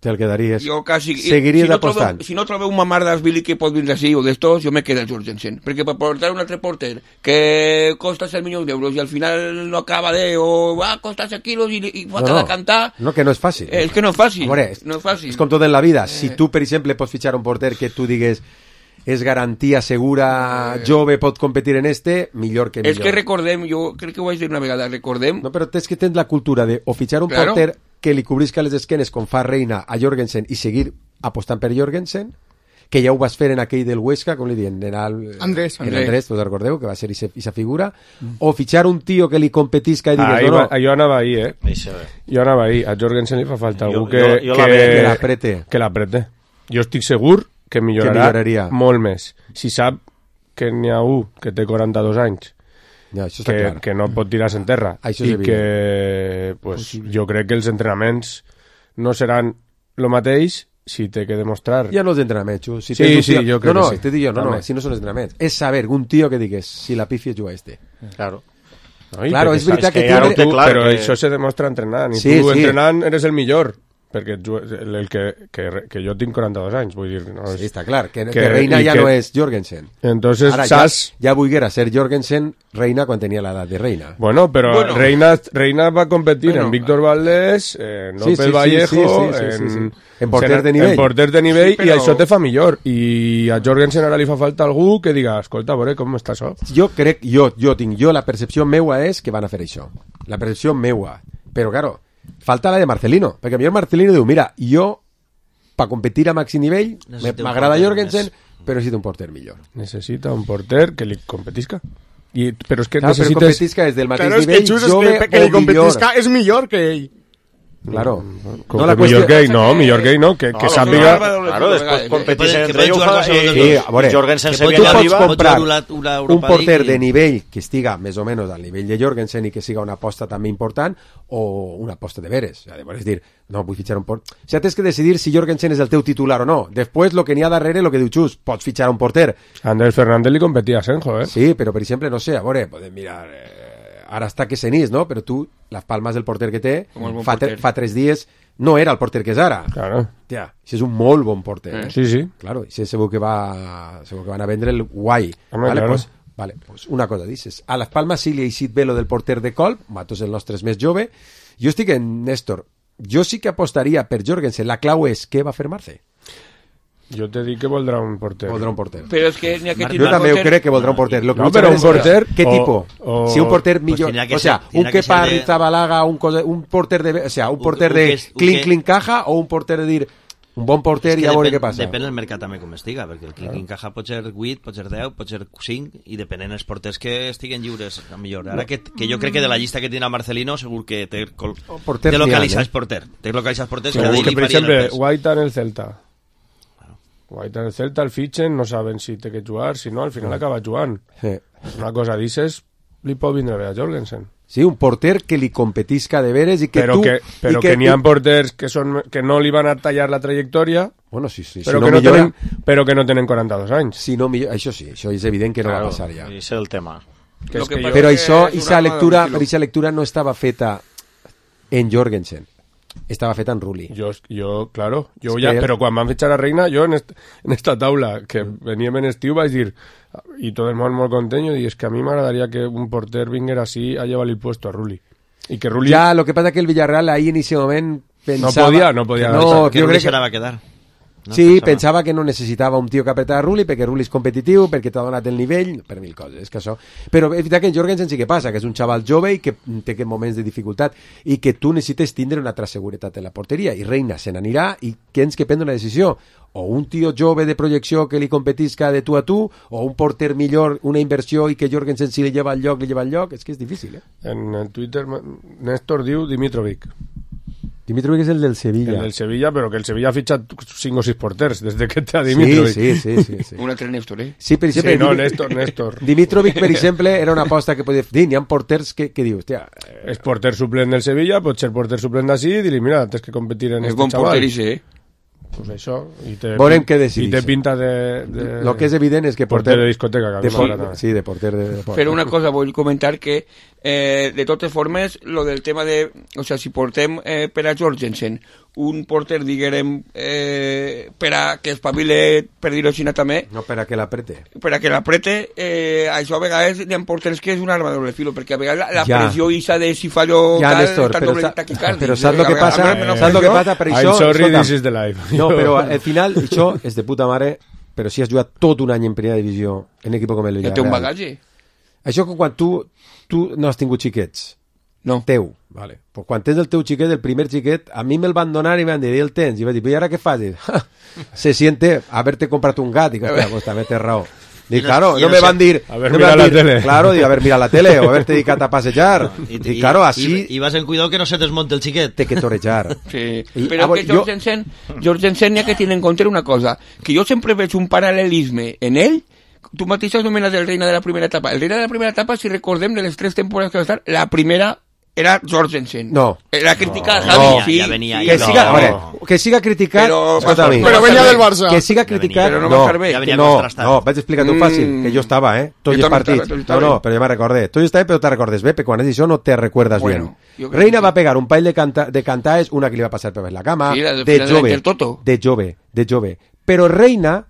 te'l quedaries jo quasi, seguiries si no apostant trobo, si no trobeu un Mamardashvili que pot vindre així o d'estos, jo me quedo a Jorgensen perquè per portar un altre porter que costa set milions d'euros i al final no acaba de o va a costar set quilos i, i va no, cada no. cantar no, que no és fàcil eh, és que no és fàcil, Amore, és, no és fàcil és com tot en la vida, si eh. tu per exemple pots fitxar un porter que tu digues és garantia segura, eh... jove, pot competir en este, millor que millor. És que recordem, jo crec que ho vaig dir una vegada, recordem... No, però tens que tenir la cultura de o fitxar un claro. porter que li cobrisca les esquenes com fa Reina a Jorgensen i seguir apostant per Jorgensen, que ja ho vas fer en aquell del Huesca, com li diuen, en el... Andrés. En Andrés, us recordeu, que va ser aquesta figura, mm. o fitxar un tio que li competisca i digues... Ah, no, no. Va, jo anava ahí, eh? Jo anava ahí. A Jorgensen li fa falta algú que... Jo, jo que, que l'aprete. Que l'aprete. Jo estic segur que millorarà que molt més. Si sap que n'hi ha un que té quaranta-dos anys ja, això que, clar. que no pot tirar-se en terra això i que pues, jo crec que els entrenaments no seran el mateix si té que demostrar... Ja no els entrenaments, si sí, sí, tio... jo crec no, no, que sí. Te dic jo, no, no, si no són els entrenaments. És saber un tio que digues si la pifia juga este. Claro. No, claro, és veritat que, que, que tu, clar, però que... això se demostra entrenant i sí, tu sí. entrenant eres el millor perquè el, el que, que, que jo tinc quaranta-dos anys, vull dir... No és, sí, està clar, que, que, que Reina ja que, no és Jorgensen. Entonces, ara saps... ja, ja volguera ser Jorgensen Reina quan tenia l'edat de Reina. Bueno, però bueno. Reina, Reina va competir bueno, en Víctor Valdés, en López sí, sí, Vallejo, sí, sí, sí, sí, sí, sí. en porters de nivell. En porters de nivell, sí, però... i això te fa millor. I a Jorgensen ara li fa falta algú que diga, escolta, a veure com està això. Jo crec, jo, jo tinc, jo la percepció meua és que van a fer això. La percepció meua. Però, claro, falta la de Marcelino, perquè millor Marcelino diu, mira, jo per competir a màxim nivell m'agrada Jorgensen, més. Però necessita un porter millor. Necessita un porter que li competisca. I, però és que claro, necessites... però competisca és del mateix claro, nivell, és que jove que, que o li competisca millor. és millor que ell. Claro. Com no, la millor que ell, no, millor que ell no, que, no, que no, sàpiga... Claro, després competís entre ells i Jorgensen se viene arriba. Tu pots comprar un porter de nivell que estiga més o menys al nivell de Jorgensen i que siga una aposta també important o una aposta de veres. És dir, no, vull fitxar un porter. O sigui, tens que decidir si Jorgensen és el teu titular o no. Després, el que n'hi ha darrere, el que diu Xus, pots fitxar un porter. Andrés Fernández li competia a Senjo, eh? Sí, però per exemple, no sé, a veure, podem mirar... Eh, ara està que senís, no? Però tu, les palmes del porter que té, fa, porter. fa tres dies no era el porter que és ara. Claro. Tia, això és un molt bon porter. Eh? Sí, sí. Claro, això segur que, va, segur que van a vendre el guai. Home, vale, claro. pues, vale, pues una cosa, dices, a les palmes sí li ha eixit bé lo del porter de Colp, Matos el nostre és més jove, jo estic en Néstor, jo sí que apostaria per Jorgensen, la clau és què va fer Marce? Jo te dic que voldrà un porter. Voldrà un porter. Però és que n'hi ha que jo també ho crec que voldrà un porter. Lo que no, però un porter... ¿Qué tipo? O, si un porter millor... Pues o sea, ser, un que para de... Rizabalaga, un, un porter de... O sea, un porter un, un de clink, clink, caja o un porter de dir... Un bon porter i a veure què passa. Depèn del mercat també com estiga, perquè el clink, clink, caja pot ser vuit, pot ser deu, pot ser cinc, i depenent els porters que estiguen lliures, a millor. Ara que, que jo crec que de la llista que tindrà Marcelino, segur que té, col... té localitzats eh? porter. Té localitzats porters sí, que, que per exemple, Guaita en el Celta. Guaita en el Celta, el fitxen, no saben si té que jugar, si no, al final acaba jugant. Sí. Una cosa dices, li pot vindre bé a Jorgensen. Sí, un porter que li competisca de veres i que però tu... Que, però que, que n'hi ha porters que, són, que no li van a tallar la trajectòria, bueno, sí, sí, però, si que no no millora... tenen, però que no tenen quaranta-dos anys. Si no millora... Això sí, això és evident que no claro, va passar ja. I és el tema. Que és que jo... Però això, aquesta lectura, aquesta lectura no estava feta en Jorgensen. Estava feta en Rulli. Jo, jo claro, jo ja, però quan van fitxar a Reina, jo en, est, en esta taula, que veníem en estiu, vaig dir, i tot el món molt content, i és que a mi m'agradaria que un porter vinguera així a llevar el puesto a Rulli. I que Rulli... Ja, lo que pasa que el Villarreal ahí en ese moment pensava... No podia, no podia. No, que jo Rulli crec se la va quedar. No? Sí, Pensava. pensava que no necessitava un tio que apretava Rulli perquè Rulli és competitiu, perquè t'ha donat el nivell, per mil coses, és que això... Però és veritat que en Jorgensen sí que passa, que és un xaval jove i que té aquests moments de dificultat i que tu necessites tindre una altra seguretat en la porteria i Reina se n'anirà i tens que prendre una decisió, o un tio jove de projecció que li competisca de tu a tu, o un porter millor, una inversió i que Jorgensen si li lleva al lloc, li lleva al lloc, és que és difícil, eh? En el Twitter Néstor diu Dimitrovic. Dimitrovic és el del Sevilla. El del Sevilla, però que el Sevilla ha fitxat cinc o sis porters des de que té a Dimitrovic. Sí, sí, sí. sí, sí. Un altre Néstor, eh? Sí, per exemple... Sí, no, Dimi- Néstor, Néstor. Dimitrovic, per exemple, era una aposta que podia dir, n'hi ha porters que, que dius, hòstia... És porter suplent del Sevilla, pot ser porter suplent d'ací i dir-li, mira, tens que competir en És este bon xaval. porter, i eh? Pues això, i té, Veurem què i decidís. té pinta de, de... Lo que és evident és que porter de discoteca, que a mi de por- m'agrada. sí, de porter de, de porter. Però una cosa, vull comentar que eh, de totes formes, lo del tema de... O sea, si portem eh, per a Jorgensen un porter, diguem, eh, per a que espavile, per dir-ho així també, No, per a que l'aprete. per a que l'aprete, eh, això a vegades hi ha porters que és un arma de doble filo, perquè a vegades la, la Ja. pressió isa de si fallo Ja, tal, Néstor, està però, doble sa- taquicardi. però saps el que A vegades- passa? a mi no Saps el que pressió. passa? Per I'm això... sorry, escolta'm, this is the life. No, però al final això és de puta mare, però si has jugat tot un any en primera divisió en un equip com el Ja té un Villarreal. bagatge. Això que quan tu, tu no has tingut xiquets, No. teu, vale. Pues quan tens el teu xiquet, el primer xiquet, a mi me'l van donar i m'han dit, el tens? I vaig dir, i ara què fas? I, "Ja, se siente haberte comprat un gat. I que, hòstia, pues també tens raó. Dic, I no- claro, i no no me sé- van dir... Haber no me mirado van la dir, tele. Claro, dic, haber mirado la tele o haberte dedicat a passejar. I, claro, así I, i vas en cuidado que no se desmonte el xiquet. té que torejar. Sí, I, però a veure, que Jorgensen, Jorgensen hi ha que tenir en compte una cosa, que jo sempre veig un paral·lelisme en ell. Tu mateix has nomenat el Reina de la primera etapa. El Reina de la primera etapa, si recordem, de les tres temporades que va estar, la primera era Jorgensen. No. Era criticar No, Javi, ja- sí. ja venia, Que No. siga, a veure, que siga criticat, Però- escolta a mi, Però venia del Barça. que siga criticat, Però no no, va estar bé. Ja venia no, contrastat. no, vaig explicar-t'ho Mm. fàcil, que jo estava, eh, tots Jo els també partits, estava, tu no, estava. no, però ja me recordé, tu estava però te recordes bé, perquè quan has dit això no te recuerdas Bueno, bien. jo crec Reina que va sí. pegar un paell de, canta, de cantaes, una que li va passar per la cama, Sí, la del de final jove, del Toto. de jove, de jove, però Reina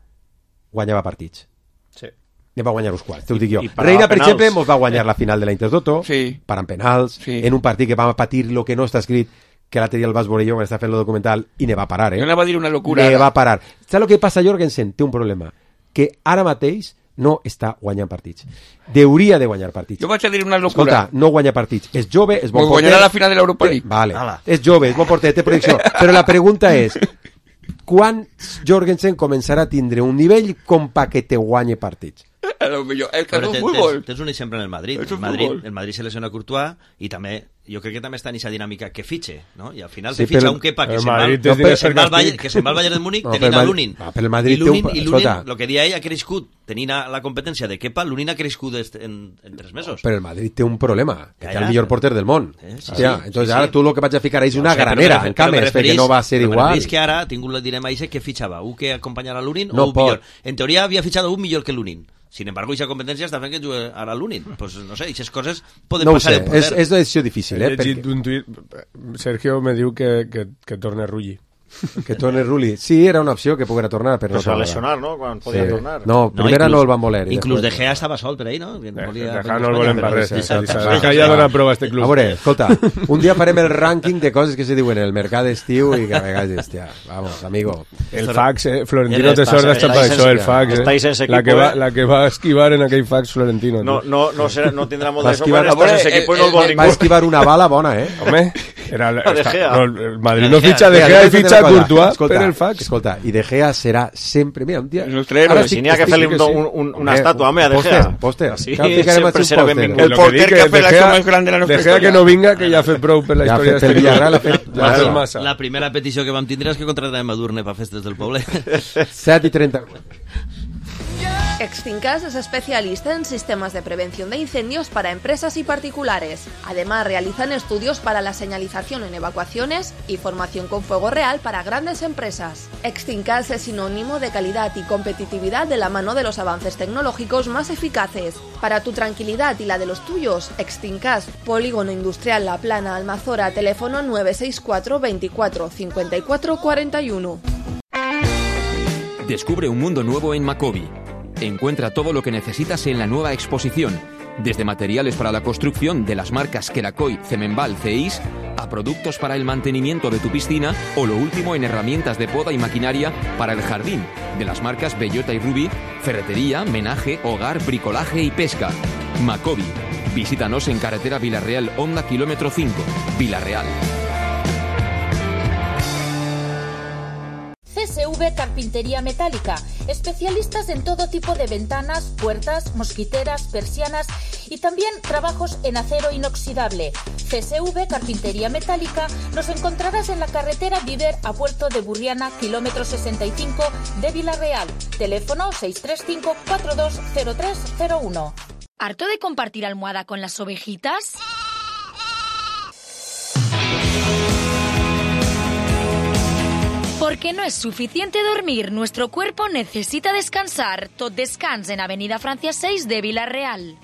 guanyava partits. Sí. Ne va guanyar uns quants, t'ho dic jo. I parava Reina, per penals. exemple, mos va guanyar la final de la Intertoto, Sí. parant penals, Sí. en un partit que vam patir lo que no està escrit, que l'altre dia el vas veure jo quan està fent el documental, i ne va parar, eh? Jo anava a dir una locura. Ne ara. va parar. Saps el que passa, Jorgensen? Té un problema, que ara mateix no està guanyant partits. Deuria de guanyar partits. Jo vaig a dir una locura. Escolta, no guanya partits. És jove, és bon Pues porter. guanyarà la final de l'Europa League. Vale. Ala. És jove, és bon porter, té projecció. Però la pregunta és, quan Jorgensen començarà a tindre un nivell com pa que te guanye partits? A lo millor. El que Però és tens, un futbol. tens, tens un exemple en el Madrid. És El un Madrid, futbol. el Madrid se lesiona Courtois i també, jo crec que també està en aquesta dinàmica que fitxe, no? I al final Sí, te fitxa però- un Kepa que el se'n va, Madrid que és de se'n va, al ser Bayern, castig. que se'n va al Bayern de Múnich No, tenint però a el Lunin. Madrid- ah, però el Madrid I té un Lunin, pa- i Lunin, escolta. el que dia ell ha crescut tenint a la competència de Kepa, Lunin ha crescut est- en, en tres mesos. Però el Madrid té un problema, que Ja, té el ja. millor porter del món. Eh, sí, Hòstia, sí, entonces sí, ara sí. tu lo que vaig a ficar és Ja ho una sé, però granera, me en refer- però me cames, perquè referís- no va ser però me igual. referís que ara ha tingut la dilema ese que fitxava un que acompanyara a Lunin No o un pot. millor. En teoria havia fitxat un millor que Lunin. Sin embargo, aquesta competència està fent que jugui ara a Lunin. Pues no sé, aquestes coses poden No ho passar sé, en poder. és, és una decisió difícil, He eh? llegit Perquè, un tuit, Sergio me diu que, que, que torne Rulli. que torni Rulli. Sí, era una opció que poguera tornar, però Però no se va tornarà. lesionar, no? Quan podia Sí. tornar. No, primera no el van voler. i Inclús De després- Gea estava sol per ahí, no? Que De, volia- Deja no el volen per res. Sí, Eh? sí, sí, De sí. ja dona prova a este club. A veure, escolta, un dia farem el rànquing de coses que se diuen en el mercat d'estiu i que a vegades, hòstia, vamos, amigo. El fax, eh? Florentino Està- Tesor està està per això, el sense- fax, eh? estáis sense la, que equipo, va, eh? la que va esquivar en aquell fax Florentino. No, tu. no, no, serà, no tindrà molt Va de esquivar- sobra, estàs sense equip i no el vol eh, ningú. Va esquivar una bala bona, eh? Home, era el, De està- Gea. no, el Madrid De no Gea. fitxa De Mira, Gea i escolta fitxa una cosa, Courtois escolta, per el fax. Escolta, i De Gea serà sempre... Mira, un dia... El nostre héroe. Ara Si estic- n'hi ha que estic- fer-li que un, sí. un, un, una Eh, estàtua, home, a De pòster, Gea. pòster. Així Cal ficar sempre un serà pòster. benvingut. El Lo que porter dic que ha fet De l'acció Gea- més gran de la nostra De Gea que història. no vinga, que ja ha fet prou per la Ja ha història fet el d'este club. Villarreal, ha fet- Ja ha fet la- massa. La primera petició que vam tindre és que contratarem a Durne per festes del poble. set i trenta-quatre. Extincas es especialista en sistemas de prevención de incendios para empresas y particulares. Además, realizan estudios para la señalización en evacuaciones y formación con fuego real para grandes empresas. Extincas es sinónimo de calidad y competitividad de la mano de los avances tecnológicos más eficaces. Para tu tranquilidad y la de los tuyos, Extincas, Polígono Industrial La Plana, Almazora, teléfono nueve seis cuatro veinticuatro cincuenta y cuatro cuarenta y uno. Descubre un mundo nuevo en Macobi. Encuentra todo lo que necesitas en la nueva exposición, desde materiales para la construcción de las marcas Kerakoy, Cemenbal, C I S, a productos para el mantenimiento de tu piscina o lo último en herramientas de poda y maquinaria para el jardín, de las marcas Bellota y Rubí, ferretería, menaje, hogar, bricolaje y pesca. Macobi. Visítanos en carretera Villarreal Honda kilómetro cinco, Villarreal. C S V Carpintería Metálica, especialistas en todo tipo de ventanas, puertas, mosquiteras, persianas y también trabajos en acero inoxidable. C S V Carpintería Metálica nos encontrarás en la carretera Viver a Puerto de Burriana, kilómetro sesenta y cinco de Villarreal. Teléfono seis tres cinco cuatro dos cero tres cero uno. ¿Harto de compartir almohada con las ovejitas? Porque no es suficiente dormir, nuestro cuerpo necesita descansar. Tot Descans en Avenida Francia seis de Villarreal.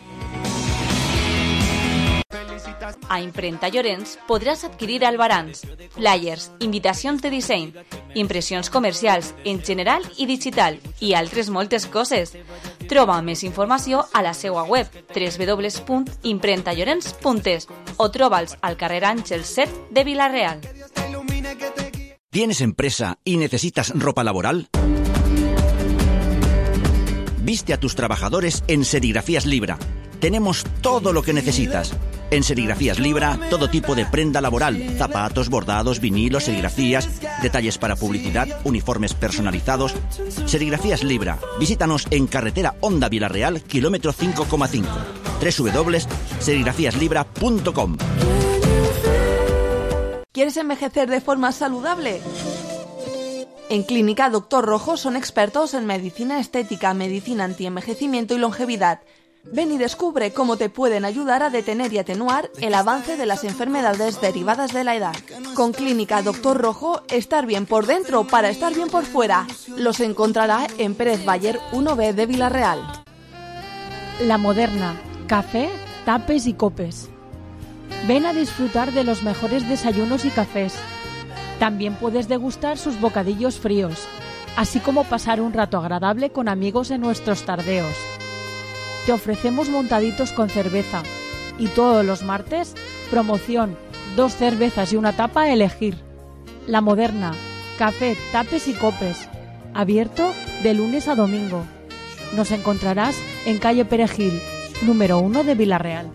A Imprenta Llorenç podràs adquirir albarans, flyers, invitacions de disseny, impressions comercials en general i digital i altres moltes coses. Troba més informació a la seva web w w w punt imprenta llorenç punt es o troba'ls al carrer Àngel set de Villarreal. ¿Tienes empresa y necesitas ropa laboral? Viste a tus trabajadores en Serigrafías Libra. Tenemos todo lo que necesitas. En Serigrafías Libra, todo tipo de prenda laboral, zapatos, bordados, vinilos, serigrafías, detalles para publicidad, uniformes personalizados. Serigrafías Libra. Visítanos en carretera Honda Villarreal, kilómetro cinco coma cinco. w w w punto serigrafías libra punto com. ¿Quieres envejecer de forma saludable? En Clínica Doctor Rojo son expertos en medicina estética, medicina antienvejecimiento y longevidad. Ven y descubre cómo te pueden ayudar a detener y atenuar el avance de las enfermedades derivadas de la edad. Con Clínica Doctor Rojo, estar bien por dentro para estar bien por fuera. Los encontrará en Pérez Bayer uno B de Villarreal. La Moderna. Café, tapes y copes. Ven a disfrutar de los mejores desayunos y cafés. También puedes degustar sus bocadillos fríos, así como pasar un rato agradable con amigos en nuestros tardeos. Te ofrecemos montaditos con cerveza y todos los martes, promoción, dos cervezas y una tapa a elegir. La Moderna, café, tapes y copes, abierto de lunes a domingo. Nos encontrarás en calle Perejil, número uno de Villarreal.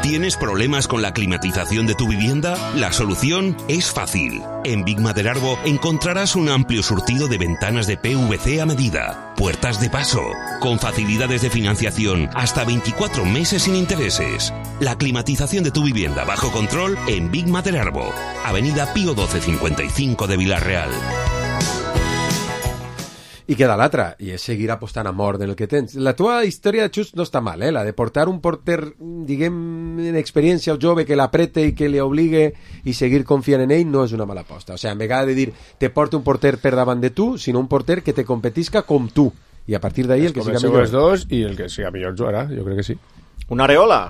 ¿Tienes problemas con la climatización de tu vivienda? La solución es fácil. En Big Maderarbo encontrarás un amplio surtido de ventanas de P V C a medida, puertas de paso, con facilidades de financiación hasta veinticuatro meses sin intereses. La climatización de tu vivienda bajo control en Big Maderarbo, Avenida Pío doce cincuenta y cinco de Villarreal. I queda l'altra, i és seguir apostant a mort en el que tens. La tua història, Xus, no està mal, eh? La de portar un porter, diguem, en experiència o jove que l'aprete i que li obligue i seguir confiant en ell no és una mala aposta. O sigui, en vegada de dir te porte un porter per davant de tu, sinó un porter que te competisca com tu. I a partir d'ahí el que siga millor. Els dos i el que siga millor jugarà, jo crec que sí. Una Areola.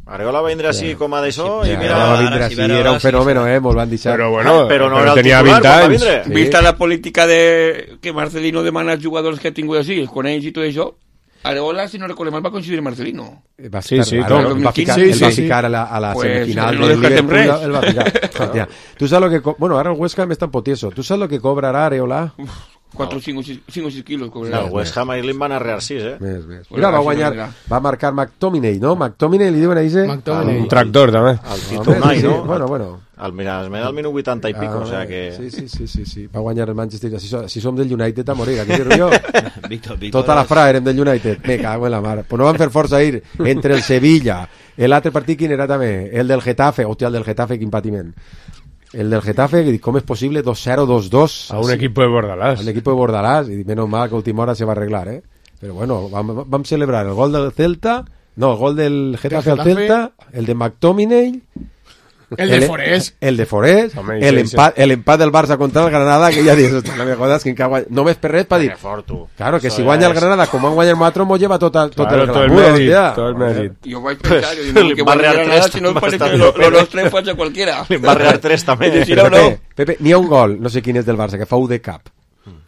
Areola va vindre així sí. com a d'això sí, i mira... Va vindre així, era un fenòmeno, eh? Molt van deixar. Però bueno, ah, però no però era el tenia titular vint quan va anys. vindre. Sí. Vista la política de que Marcelino demana als jugadors que ha tingut així, els coneix i tot això, Areola, si no recordem mal, va coincidir Marcelino. Va sí, sí, raro, el va ficar, sí, el va sí, ficar a la, a la pues, semifinal no del Liverpool, res. el va ficar. Hòstia, tu saps lo que... Co bueno, ara el West Ham està en potieso. Tu saps lo que cobrarà Areola? cuatro o cinco kilos cobrarà. El West Ham ahir li van arrear sis, eh? Més, més. Mira, va guanyar, va marcar McTominay, no? McTominay li diuen a Ise? Un tractor, també. El Tito Unai, sí, no? Bueno, bueno. El, mira, es me da el minut vuitanta i pico, ah, o sea que... Sí, sí, sí, sí, sí. Va guanyar el Manchester. Si, so, si som del United a morir, aquí dir jo. Víctor, Víctor, Tota la fra érem del United. Me cago en la mar. Pues no van fer força ir entre el Sevilla, l'altre partit quin era també? El del Getafe. Hòstia, el del Getafe, quin patiment. El del Getafe, com és possible? dos cero, dos dos. A un sí. equipo de Bordalás. A un equipo de Bordalás. Y menos mal que a última hora se va a arreglar, ¿eh? Pero bueno, vam, vam celebrar el gol del Celta, no, el gol del Getafe, Getafe al Celta, el de McTominay... El de Forés. El de Forés, Home, el, sí, empat, sí. el empat del Barça contra el Granada, que ja dius, no me jodas, que guanya... només per res, per dir... Claro, que si guanya el Granada, com han guanyat nosaltres, mos lleva tot, tot claro, el tot el mèrit, tot el mèrit. Jo vaig pensar, jo dic que guanya el Granada, si no parece que lo nostre faig a qualquiera. Li va arrear tres, també. Pepe, Pepe, n'hi ha un gol, no sé quin és del Barça, que fa U de cap.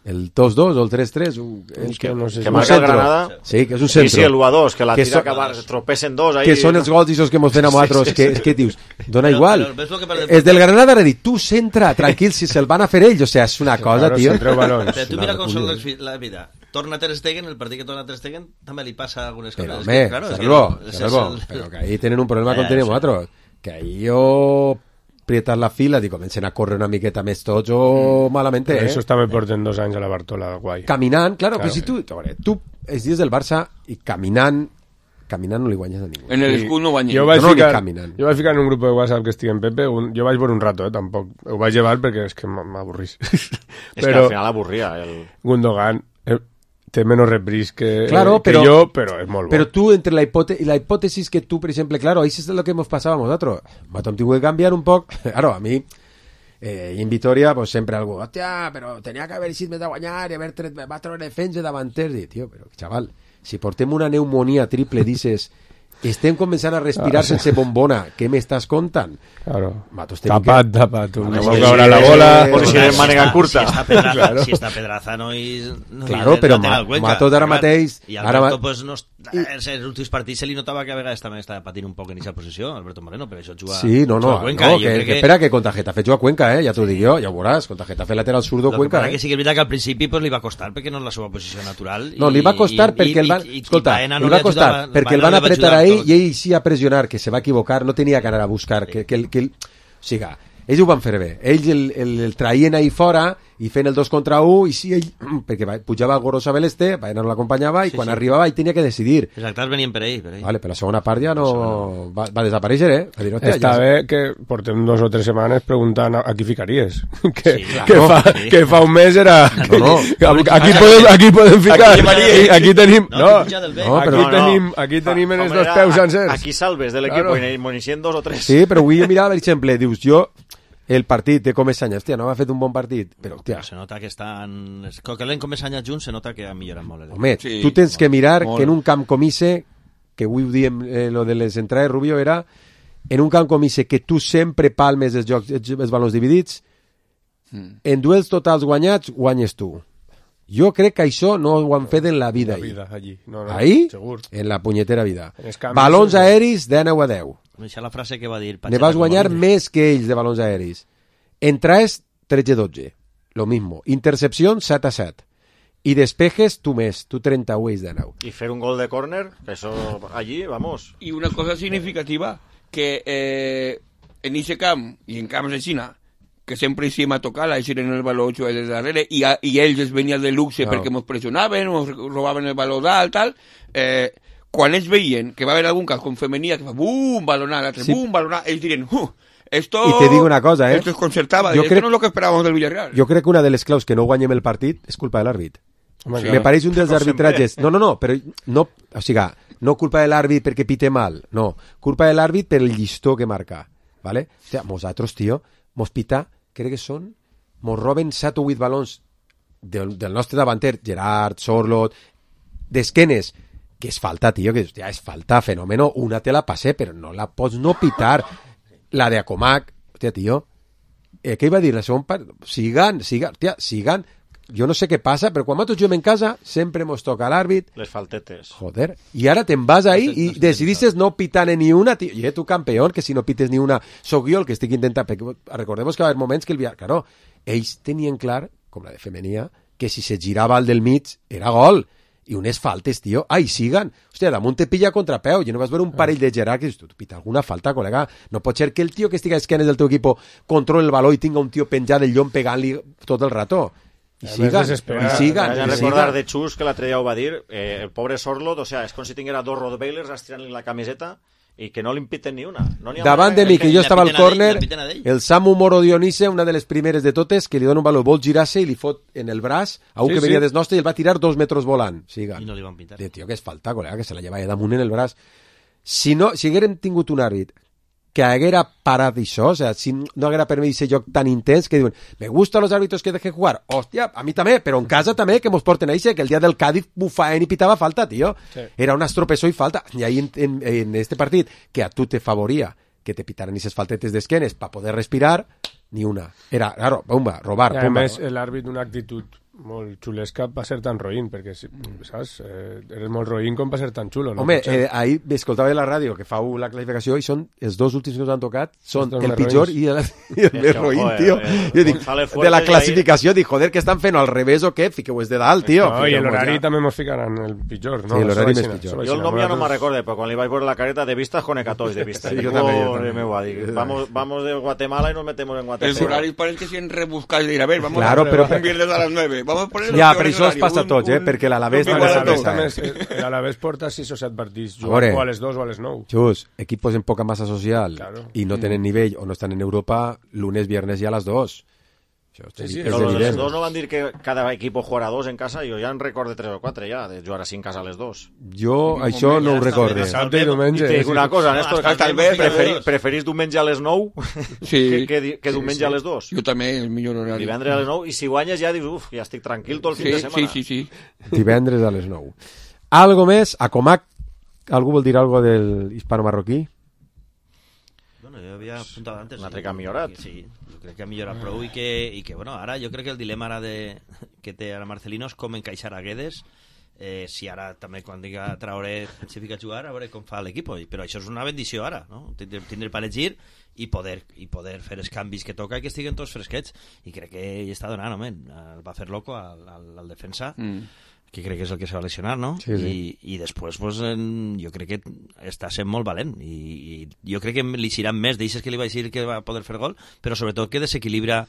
El dos dos o el tres tres. Un, es que, no sé que si marca el Granada. Sí, que és un centro. Sí, sí, el u a dos, que la que tira so, acabar, tropecen dos. Ahí, que són els gols i que mos fem a nosaltres, sí, sí, sí. que, que dius, dona però, igual. Però, però és del Granada ara dit, tu centra, tranquil, si se'l van a fer ells, o sea, és una cosa, claro, tio. Però tu mira com són la vida. Torna Ter Stegen, el partit que torna Ter Stegen també li passa algunes coses. Però, home, que, claro, Salvo, es que, Salvo, es el... però que ahí tenen un problema ja, com ja, tenim nosaltres. Que ahí jo prietas la fila i comencen a córrer una miqueta més tots o malament, eh? Eso també porten dos anys a la Bartola, guai. Caminant, claro, claro. Que si tu, tu els dies del Barça i caminant, caminant no li guanyes a ningú. En el escut no guanyes. Jo vaig, no, ficar, no jo vaig ficar en un grup de WhatsApp que estic en Pepe, un, jo vaig veure un rato, eh, tampoc. Ho vaig llevar perquè és que m'avorrís. És Però, que al final avorria. El... Gundogan eh, té menys repris que, claro, que però, jo, però és molt bo. Però tu, entre la, hipote la hipòtesis que tu, per exemple, claro, ahí es lo que nos pasaba a nosotros. Matom tuvo que cambiar un poc. Claro, a mi, eh, en Vitoria, pues sempre algú, hòstia, però tenia que haver eixit més de guanyar i haver tret, va treure defensa davanters. I, tio, però, xaval, si portem una pneumonia triple, dices... Estem començant a respirar ah, sí. sense bombona. Què m'estàs contant? Claro. Matos tapat, que... tapat. No, no no, vol si caure la bola. Por si és mànega curta. Si està Pedraza, claro. si està Pedraza no hi... No claro, hi però Matos ara mateix... I Alberto, pues, no, els últims partits se li notava que a vegades també estava patint un poc en aquesta posició, Alberto Moreno, però això juga, sí, no, no, juga a Cuenca. No, que, que, que, espera, que contra Getafe juga a Cuenca, eh? Ja t'ho dic jo, ja ho veuràs. Contra Getafe lateral zurdo Cuenca. Lo que, eh? que sí que és veritat que al principi pues, li va costar perquè no és la seva posició natural. No, li va costar i, perquè i, el van... I, i, escolta, i li va costar perquè el van apretar ahí i ell sí a pressionar, que se va equivocar, no tenia que anar a buscar, que, que, que, o sigui, ells ho van fer bé, ells el, el, el traien ahí fora i fent el dos contra un, i sí, ell, perquè va, pujava el Gorosa Beleste, no l'acompanyava, i sí, quan sí. arribava ell tenia que decidir. Els actors venien per ell, per ell. Vale, però la segona part ja no... Va, va desaparèixer, eh? Va dir, Està ja... bé que portem dos o tres setmanes preguntant a, a qui ficaries. que, sí, claro, que, fa, sí. que fa un mes era... No, no. aquí, podem, aquí podem ficar. Aquí, aquí tenim... No, no, no aquí, no, tenim, aquí tenim en els dos peus sencers. Aquí salves de l'equip, claro. I monixent dos o tres. Sí, però avui mirava, per exemple, dius, jo... El partit de Comesaña, hòstia, no ha fet un bon partit, però, hòstia... Se nota que estan... Que l'en Comesaña junts se nota que ha millorat molt. Home, sí, tu tens que mirar molt. Que en un camp comise, que avui ho diem, eh, lo de les entrades, Rubio, era en un camp comise que tu sempre palmes els, jocs, els balons dividits, mm. en duels totals guanyats, guanyes tu. Jo crec que això no ho han fet en la vida. En la vida, allí. No, no, ahí, segur. En la punyetera vida. Balons aeris de nou a deu. Això és la frase que va dir. Ne vas guanyar més que ells de balons aeris. Entraes tretze a dotze. Lo mismo. Intercepción set a set. Y despejes tú més. Tu trenta-u ells de nou. Y fer un gol de córner, eso allí, vamos. Y una cosa significativa, que eh, en ese camp y en camps de China, que sempre hicim a tocar, a eixir en el baló ocho des darrere, i, a, i ells es venien de luxe claro. perquè ens pressionaven, ens robaven el baló dalt, tal, eh, quan ells veien que va haver algun cas com femenia, que fa bum, balonar, l'altre, sí. bum, balonar, ells dirien, uh, esto... I te digo una cosa, eh? Esto es concertava, jo esto crec... no és lo que esperábamos del Villarreal. Jo crec que una de les claus que no guanyem el partit és culpa de l'àrbit. Sí. Me pareix un dels no arbitratges... No, no, no, però no, o sigui, no culpa de l'àrbit perquè pite mal, no, culpa de l'àrbit per el llistó que marca, ¿vale? O sea, nosaltres, tio, mos pita, crec que són, mos roben set o vuit balons del, del nostre davanter, Gerard, Sorlot, d'esquenes, que és falta, tio, que ja és falta, fenòmeno, una te la passé, però no la pots no pitar. La de Acomac, hòstia, tio, eh, què iba a dir? La segona part, sigan, sigan, hòstia, sigan, jo no sé què passa, però quan nosaltres juguem en casa, sempre mos toca l'àrbit. Les faltetes. Joder, i ara te'n vas ahí i decidistes no pitar ni una, tio. I tu, campeón, que si no pites ni una, soc jo el que estic intentant, perquè recordemos que va haver moments que el Villarreal, claro, ells tenien clar, com la de femenia, que si se girava al del mig, era gol. I unes faltes, tio, ai, siguen. Hòstia, damunt te pilla contrapeu. Jo no vas veure un parell de Gerard que dius, tu pita alguna falta, col·lega. No pot ser que el tio que estigui a esquenes del teu equip controli el baló i tinga un tio penjat del llom pegant-li tot el rato. I siguen, i siguen. Vaig a recordar de Xus, que l'altre dia ho va dir, eh, el pobre Sorlot, o sea, és com si tinguera dos Rottweilers estirant-li la camiseta i que no li impiten ni una. No davant de mi, que jo estava al córner, el Samu Moro Dionise, una de les primeres de totes, que li dona un baló, vol girar-se i li fot en el braç a un sí, que venia sí. des nostre i el va tirar dos metres volant. Siga. I no li van pintar. De, tio, que és falta, col·lega, que se la llevava damunt en el braç. Si no, si haguérem tingut un àrbit que haguera parat això, o sea, si no haguera permès aquest joc tan intens que diuen, me gustan los árbitros que dejen jugar, hòstia, a mi també, però en casa també, que mos porten a eixe, que el dia del Cádiz bufaven i pitava falta, tio. Sí. Era un estropessó i falta. I ahí en, en, en este partit, que a tu te favoria que te pitaran aquestes faltetes d'esquenes para poder respirar, ni una. Era, claro, bomba, robar, I a bomba. més, l'àrbit d'una actitud molt xulesca per ser tan roïn, perquè, saps, eh, eres molt roïn com per ser tan xulo. No? Home, eh, ahir m'escoltava de la ràdio que fau la classificació i són els dos últims que us han tocat són Els dos el més pitjor roïns. i el, i el més roïn, joder, tio. eh, Jo dic, González de la Fuertes classificació, dic, joder, que estan fent al revés o què? Fiqueu-vos de dalt, tio. No, i Fiqueu-vos l'horari ja. també mos ficaran el pitjor, no? Sí, l'horari Això més vaig pitjor. anar, Jo el això nom vaig ja no anar. me recuerdo, però quan li vaig veure la careta de vistas con hecatois de vista. Sí, Digo, jo també, jo "Pobre també. meu", dic, vamos, vamos de Guatemala y nos metemos en El Guatemala. horario parece que se han rebuscado y dirá, a ver, vamos Claro, a pero- un viernes a las nueve. Vamos a poner Ja, los però peores això es horarios, passa a un- tots, eh? un- Perquè l'Alavés un també igual a s'ha tots. També, l'Alavés porta sis o set partits, A veure. jugant o a les dos o a les nou. Just, equipos en poca massa social Claro. i no tenen nivell o no estan en Europa, lunes, viernes i a les dos. Això Sí, sí, és Però los evident. dos no van dir que cada equipo jugarà dos en casa, jo ja en recorde tres o quatre ja, de jugar així en casa a les dos. Jo això no ho recorde. Dissabte i diumenge. I te dic una cosa, Néstor, Hasta- hasta el vespre, preferi, dos. preferís diumenge a les nou Sí. que, que, di- que Sí, diumenge sí. a les dos? Jo també, el millor horari. Divendres a les nou, i si guanyes ja dius, uf, ja estic tranquil tot el fin Sí, de sí, setmana. sí, sí. Divendres a les nou. Algo més? A Comac, algú vol dir algo del hispano-marroquí? Bueno, jo havia apuntat antes... Un altre que ha millorat. Que sí, jo crec que ha millorat prou i que, i que, bueno, ara jo crec que el dilema ara de, que té ara Marcelino és com encaixar a Guedes, eh, si ara també quan diga Traoré se fica a jugar, a veure com fa l'equip, però això és una bendició ara, no? Tindre, tindre per elegir i poder, i poder fer els canvis que toca i que estiguen tots fresquets, i crec que hi està donant, home, el va fer loco al, al, al defensa, Mm. que crec que és el que se va lesionar, no? Sí, sí. I, i després pues, en, jo crec que està sent molt valent i, i jo crec que li xiran més d'eixes que li vaig dir que va poder fer gol, però sobretot que desequilibra.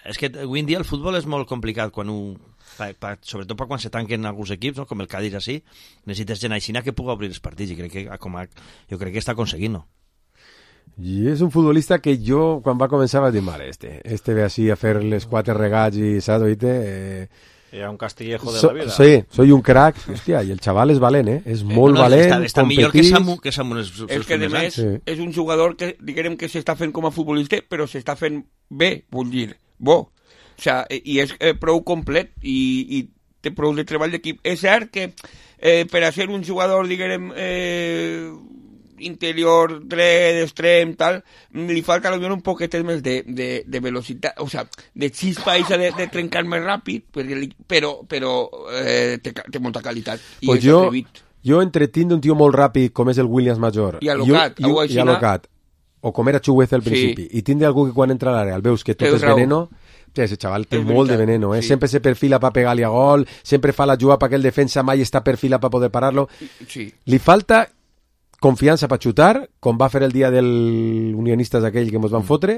És que avui en dia el futbol és molt complicat quan un, pa, pa, sobretot per quan se tanquen alguns equips, no? Com el Cádiz així, necessites gent aixina que pugui obrir els partits i crec que com a, jo crec que està aconseguint, no? I és un futbolista que jo, quan va començar, vaig dir, mare, este, este ve així a fer les quatre regats i, saps, oíte? Eh, Era un castillejo de so, la vida. Sí, soy un crack. Hòstia, i el xaval és valent, eh? És molt no, valent, està, està millor que competís. Samu, que Samu els, els És que, a primers més, anys. Sí. és un jugador que, diguem que s'està fent com a futbolista, però s'està fent bé, vull dir, bo. O sea, i és eh, prou complet i, i té prou de treball d'equip. És cert que eh, per a ser un jugador, diguem, eh, interior, dret, extrem, tal, li falta potser un poquetet més de, de, de velocitat, o sea, de xispa i de, de trencar més ràpid, perquè li, però, però eh, té, té molta qualitat. I Pues és jo, atrevit. jo entretinc un tio molt ràpid com és el Williams Major I alocat, i, algú i, així, i alocat, o com era Chugueza al Sí. principi, i tindre algú que quan entra a l'àrea el veus que tot Tens és raó. veneno. Sí, ese xaval té És molt de veritat, veneno, eh? sí. Sempre se perfila per pegar-li a gol, sempre fa la jugada perquè el defensa mai està perfila per poder parar-lo. Sí. Li falta confiança per xutar, com va fer el dia del Unionistes aquell que ens van fotre,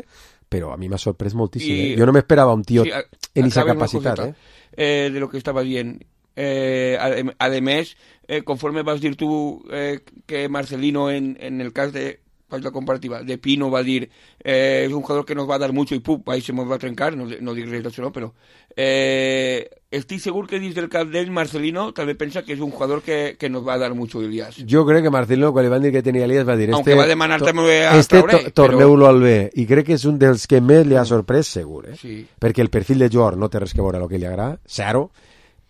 però a mi m'ha sorprès moltíssim. I- Eh? Jo no m'esperava un tio Sí, a- en aquesta acabem una capacitat. coseta, Eh? eh, de lo que estaba bien. Eh, ade- además, eh, conforme vas a decir tú eh, que Marcelino en, en el caso de pues, la comparativa de Pino va a decir eh, es un jugador que nos va a dar mucho y pup, ahí se nos va a trencar, no, no dic res d'això, no, però eh, estic segur que dins del cap d'ell Marcelino també pensa que és un jugador que, que nos va a dar mucho Ilias. Jo crec que Marcelino, quan li van dir que tenia Elias, va dir... Este, Aunque va demanar to- també a este Traoré, to torneu-lo al B. I crec que és un dels que més li ha sorprès, segur, eh? Sí. Perquè el perfil de jugador no té res que veure amb el que li agrada, zero,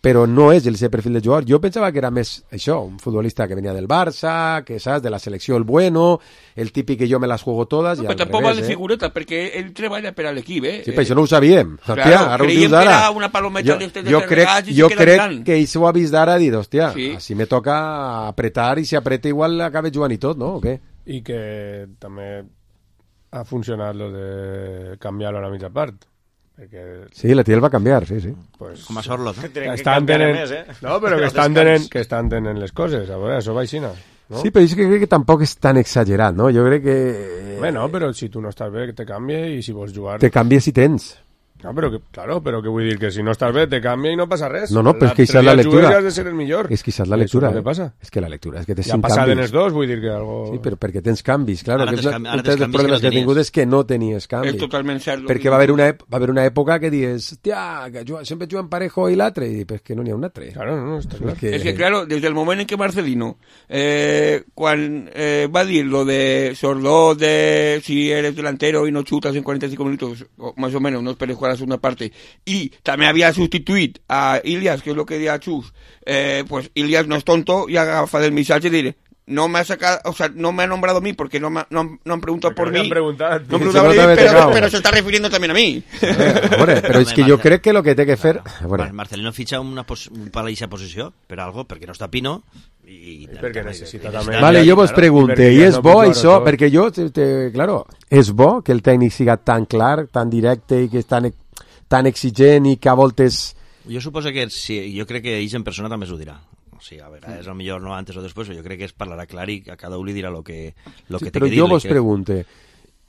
però no és el seu perfil de jugador. Jo pensava que era més això, un futbolista que venia del Barça, que saps, de la selecció el bueno, el típic que jo me las juego todas, No, i però al tampoc va revés, de eh? figureta, perquè ell treballa per a l'equip, eh? Sí, però això no ho sabíem. Claro, Hòstia, ara ho creiem dius que ara. era una palometa jo, d'estes de jo tres crec, regats i jo se queda crec mirant. que ell s'ho ha vist d'ara i dit, hòstia, Sí. si me toca apretar i si apreta igual acaba jugant i tot, no? O què? I que també ha funcionat lo de canviar-lo a la mitja part. Perquè Sí, la tia el va canviar, sí, sí. pues, Com a Sorloz, no? Tenen que estan canviar tenent, més, eh? no, però que estan tenent, que estan tenent les coses, a veure, això va així, no? Sí, però jo crec que tampoc és tan exagerat, no? Jo crec que... Bueno, però si tu no estàs bé, que te canvia i si vols jugar... Te canvia si tens. No, però que, claro, però que vull dir que si no estàs bé te canvia i no passa res. No, no, però és que això és la L'altre dia lectura. jugues i has de ser el millor. És que això és la I lectura. Això és eh? el que passa. És que la lectura és que tens Ja cinc passaven canvis. els dos, vull dir que algo... Sí, però perquè tens canvis, clar. Ara Que és tens la, canvi- un ara dels tens canvis problemes que que no he tingut tenies. és que no tenies canvis. És totalment cert. Perquè va haver una, ep- va haver una època que dius, hòstia, que juga, sempre juguen Parejo i l'altre, i pues que no n'hi ha un altre. Claro, no, no, està clar. Que... Es que claro, desde el momento en que Marcelino eh, cuando eh, va a decir lo de Sorloz, de si eres delantero y no chutas en cuarenta y cinco minutos, o más o menos, no esperes jugar a la segunda parte, y también había sustituido a Ilias, que es lo que decía Chus, eh, pues Ilias no es tonto y agafa del mensaje y diré, no me ha sacado, o sea, no me ha nombrado a mí porque no me, no, no han preguntado por no mí. Han preguntado, no han preguntado por mí, pero, pero se está refiriendo también a mí. Hombre, però és que jo crec que lo que té que fer... Bueno. Marcelino fitxa una pos... un pal a eixa posició per algo, perquè no està Pino i... perquè necessita també... Vale, jo vos pregunte, i és bo això? Perquè jo, te, claro, és bo que el tècnic siga tan clar, tan directe i que és tan, tan exigent i que a voltes... Jo suposo que sí, jo crec que ells en persona també s'ho dirà. O sigui, a vegades, a millor no antes o després, jo crec que es parlarà clar i a cada un li dirà el que, lo que sí, té però que dir. Però jo vos que... pregunte,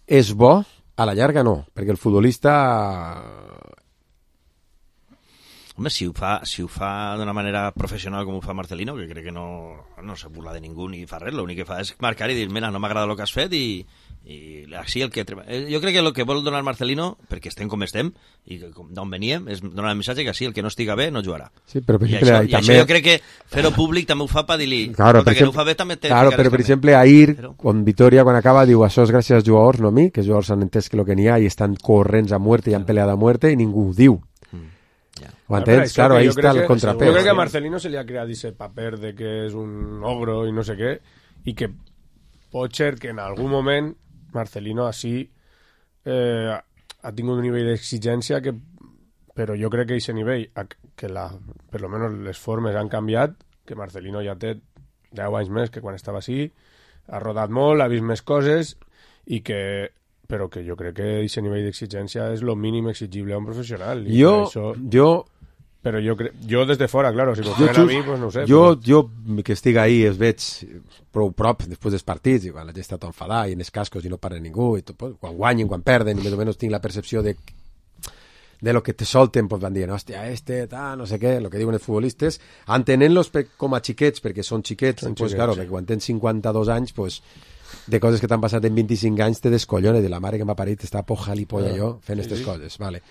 és bo? A la llarga no, perquè el futbolista... Home, si ho fa, si ho fa d'una manera professional com ho fa Marcelino, que crec que no, no se burla de ningú ni fa res, l'únic que fa és marcar i dir, mira, no m'agrada el que has fet i, i així el que... Jo crec que el que vol donar Marcelino, perquè estem com estem i d'on veníem, és donar el missatge que així el que no estiga bé no jugarà. Sí, però per I, exemple, això, i també... això jo crec que fer-ho públic també ho fa per dir-li claro, que exemple, no ho fa bé també té claro, però per exemple ahir, però... quan Vitoria quan acaba diu això és gràcies als jugadors, no a mi, que els jugadors han entès que el que n'hi ha i estan corrents a muerte i han peleat a muerte i ningú ho diu. Ho entens? Ja, claro, ahí está el que, contrapès. Jo crec que a Marcelino se li ha creat ese paper de que és un ogro i no sé què, i que pot ser que en algun moment Marcelino així eh, ha tingut un nivell d'exigència que, però jo crec que aquest nivell, que la, per lo menos les formes han canviat, que Marcelino ja té deu anys més que quan estava així, ha rodat molt, ha vist més coses, i que però que jo crec que aquest nivell d'exigència és el mínim exigible a un professional. I jo, això... jo... Però jo, cre... jo des de fora, claro, si m'ho feren a mi, pues no ho sé. Jo, però... jo que estic ahí es veig prou prop després dels partits, i quan la gent està tot enfadada i en els cascos i no parla ningú, i tot, pues, quan guanyen, quan perden, i més o menys tinc la percepció de de lo que te solten, pues van dient, hòstia, este, ta, no sé què, el que diuen els futbolistes, entenent-los com a xiquets, perquè són xiquets, són pues, xiquets claro, sí. perquè quan tens cinquanta-dos anys, pues, de coses que t'han passat en vint-i-cinc anys te descollona, de la mare que m'ha parit està poja li polla jo fent aquestes sí, sí. coses, vale.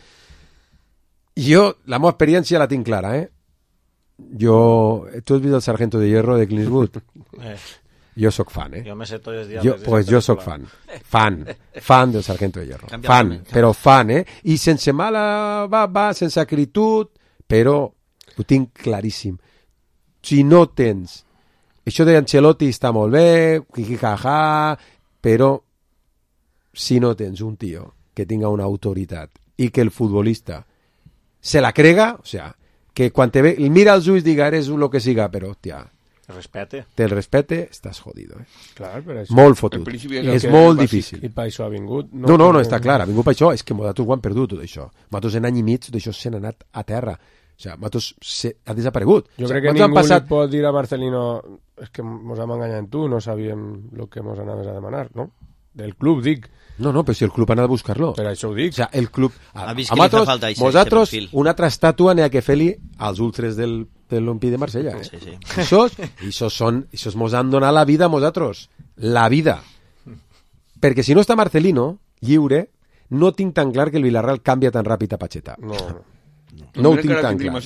Jo, la meva experiència la tinc clara, eh? Jo... Tu has vist el Sargento de Hierro de Clint Eastwood? Eh. Jo sóc fan, eh? Jo me sé tots els diables. Jo, pues jo sóc fan. Fan. Fan del Sargento de Hierro. Canvia fan, també, però fan, eh? I sense mala baba, sense acritud, però ho tinc claríssim. Si no tens... Això d'Ancelotti està molt bé, jijijaja, però si no tens un tio que tinga una autoritat i que el futbolista se la crega, o sea, que quan te ve, mira els ulls diga, eres lo que siga, però, hòstia, respete. Te el respete, estàs jodido, eh? Clar, però això... Molt fotut. És molt difícil. I per això ha vingut. No, no, no, està clar, ha vingut per això. És que nosaltres ho han perdut, tot això. Nosaltres en any i mig, tot això s'han anat a terra. O sigui, nosaltres se... ha desaparegut. Jo o crec sea, que ningú passat... li pot dir a Marcelino és que mos hem enganyat en tu, no sabíem el que mos anaves a demanar, no? Del club, dic. No, no, però si el club ha anat a buscar-lo. Per això ho dic. O sea, el club... Ha A, vist a que li fa nosaltres, falta eixe- nosaltres eixe perfil. una altra estàtua n'hi ha que fer-li als ultres del, de l'Olympique de Marsella. Eh? Sí, sí. Ixos, ixos són, ixos mos han donat la vida a nosaltres. La vida. Perquè si no està Marcelino, lliure, no tinc tan clar que el Villarreal canvia tan ràpid a Pacheta. No, no. No ho tinc tan clar.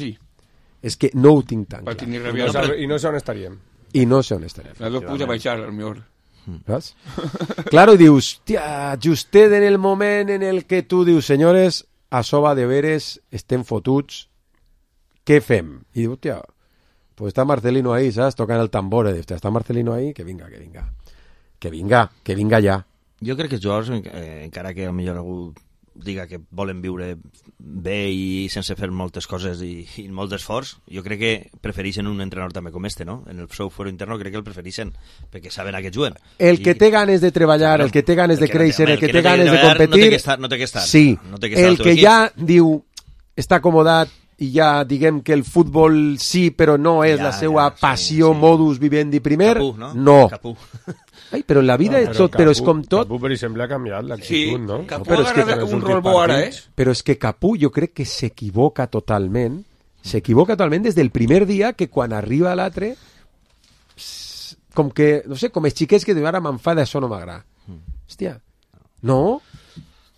És que no ho tinc tan clar. I no, sabe, I no sé on estaríem. I no sé on estaríem. Las dos puse a baixar, al millor. ¿Ves? Claro, dius, tia, justet en el moment en el que tu dius, senyores, això va de veres, estem fotuts, què fem? I diu, tia, pues està Marcelino ahí, saps? Tocant el tambor, i dius, està Marcelino ahí, que vinga, que vinga. Que vinga, que vinga ja. Jo crec que els jugadors, eh, encara que potser algú diga que volen viure bé i sense fer moltes coses i, i molt d'esforç, jo crec que prefereixen un entrenador també com este, no? En el seu foro interno crec que el prefereixen, perquè saben a què juguen. El que I... té ganes de treballar, el que té ganes de créixer, el que té ganes de competir... No té que estar, no té que estar. Sí, no té que estar el que ja diu, està acomodat i ja diguem que el futbol sí, però no és ja, la seva ja, passió, sí, sí. modus vivendi primer, Capú, no? no. Capú. Ai, però en la vida no, és tot, Capú, però és com tot... Capú, per exemple, ha canviat l'actitud, sí, no? Capú no, ha agarrat un rol bo ara, eh? Però és que Capú jo crec que s'equivoca totalment, s'equivoca totalment des del primer dia que quan arriba a l'altre, com que, no sé, com els xiquets que diuen ara m'enfada, això no m'agrada. Hòstia, no...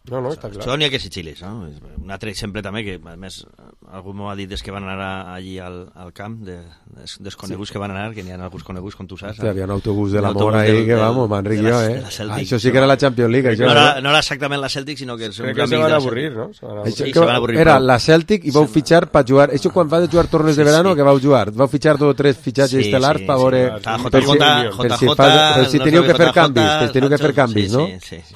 No, no, està clar. Això n'hi ha que ser xiles, no? Un altre exemple també, que a més algú m'ho ha dit des que van anar allí al, al camp, de, des, desconeguts sí. que van anar, que n'hi ha alguns coneguts, com tu saps. Hi havia un autobús de l'amor ahí, que vamos, m'enric jo, eh? Ah, això sí que era la Champions League. No, era, no era exactament la Celtic, sinó que... Crec que se van avorrir, no? Se van avorrir. Sí, se van avorrir. Era la Celtic i vau fitxar per jugar... Això quan va de jugar tornes de verano, que vau jugar? Vau fitxar dos o tres fitxatges estel·lars per veure... J J, però si teníeu que fer canvis, teníeu que fer canvis, no? Sí, sí.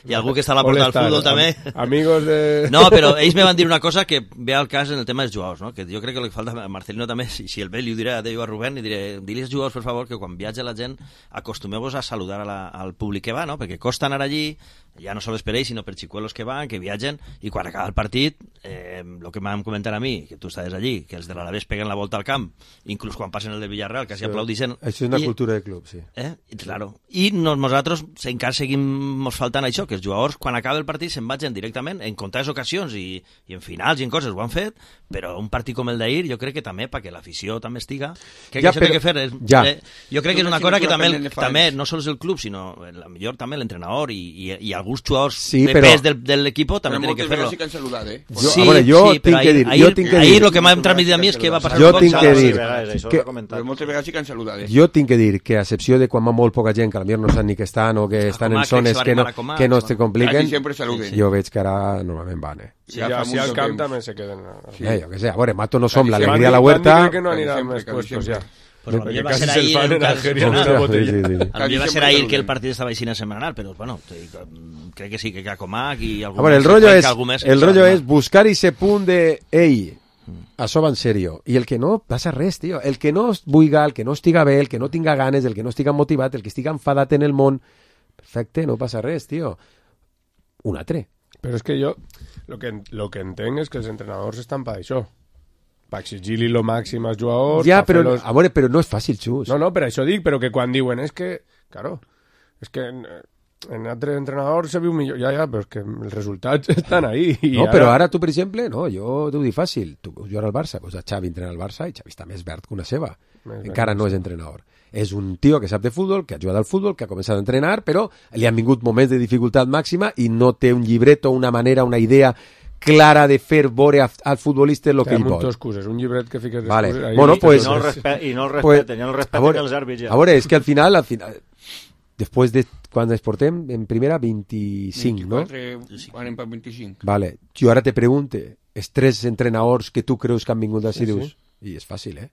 I algú que està a la porta del futbol també. Amigos de... No, però ells me van dir una cosa que ve al cas en el tema dels jugadors, no? Que jo crec que el que falta a Marcelino també, si, si el ve li ho diré a Déu a Rubén, li diré, dili als jugadors, per favor, que quan viatja la gent acostumeu-vos a saludar a la, al públic que va, no? Perquè costa anar allí, ja no sols per ells, sinó per xicuelos que van, que viatgen, i quan acaba el partit, eh, el que m'han comentat a mi, que tu estaves allí, que els de l'Alavés peguen la volta al camp, inclús quan passen el de Villarreal, quasi sí, aplaudixen. Això és una i, cultura de club, sí. Eh? I, claro. I nos, nosaltres encara seguim mos faltant això, que els jugadors, quan acaba el partit, se'n vagin directament, en comptades ocasions i, i en finals i en coses ho han fet, però un partit com el d'ahir, jo crec que també, perquè l'afició també estiga, que ja, això però, té que fer... És, ja. eh, jo crec que és una cosa que també, també no sols el club, sinó millor també l'entrenador i, i, i alguns jugadors sí, de però, pes del, del equipo també tenen que fer-lo. Sí que han saludat, eh? Jo, sí, a veure, jo sí, tinc que dir... Ahir, jo tinc que ahir dir, el que m'ha transmitit a mi és que va passar jo un tinc que dir que, però moltes vegades sí que han saludat, eh? Jo tinc que dir que a excepció de quan va molt poca gent, que potser no saben ni que estan o que estan en zones que no, que no se compliquen, jo veig que ara normalment van, eh? Sí, ja, si al camp també se queden. Sí, jo què sé, a veure, Mato no som l'alegria a la huerta... Crec que no aniran més puestos ja. Pues lo va ser ahir el va ser ahir que el partit estava així en setmanal, però bueno, crec que sí que Cacomac i algú més. El rollo és, el rollo és buscar ese punt de ei, això va en serio, i el que no passa res, tio, el que no vulga, el que no estiga bé, el que no tinga ganes, el que no estiga motivat, el que estiga enfadat en el món, perfecte, no passa res, tio, un altre. Però és que jo lo que, lo que entenc és que els entrenadors estan per això, per exigir-li lo màxim als jugadors. Ja, però, los... a veure, però no és fàcil, Xus. No, no, per això dic, però que quan diuen és que, claro, és que en, en altres entrenadors se viu millor, ja, ja, però és que els resultats estan ahí. No, ara... però ara tu, per exemple, no, jo t'ho dic fàcil, tu jugar al Barça, pues a Xavi entrena al Barça i Xavi està més verd que una ceba. Més encara no és entrenador. És un tio que sap de futbol, que ha jugat al futbol, que ha començat a entrenar, però li han vingut moments de dificultat màxima i no té un llibreto, una manera, una idea clara de fer veure al futbolista el que ell vol. Excuses, un llibret que fiques vale. Excuses, bueno, pues, I no el respeten, i no el respeten, pues, i no el respeten els àrbits. A veure, és que al final, al final després de quan ens portem en primera vint-i-cinc, no? Anem per vint-i-cinc. Vale. Jo ara te pregunte, els tres entrenadors que tu creus que han vingut així, sí, dius, sí. I és fàcil, eh?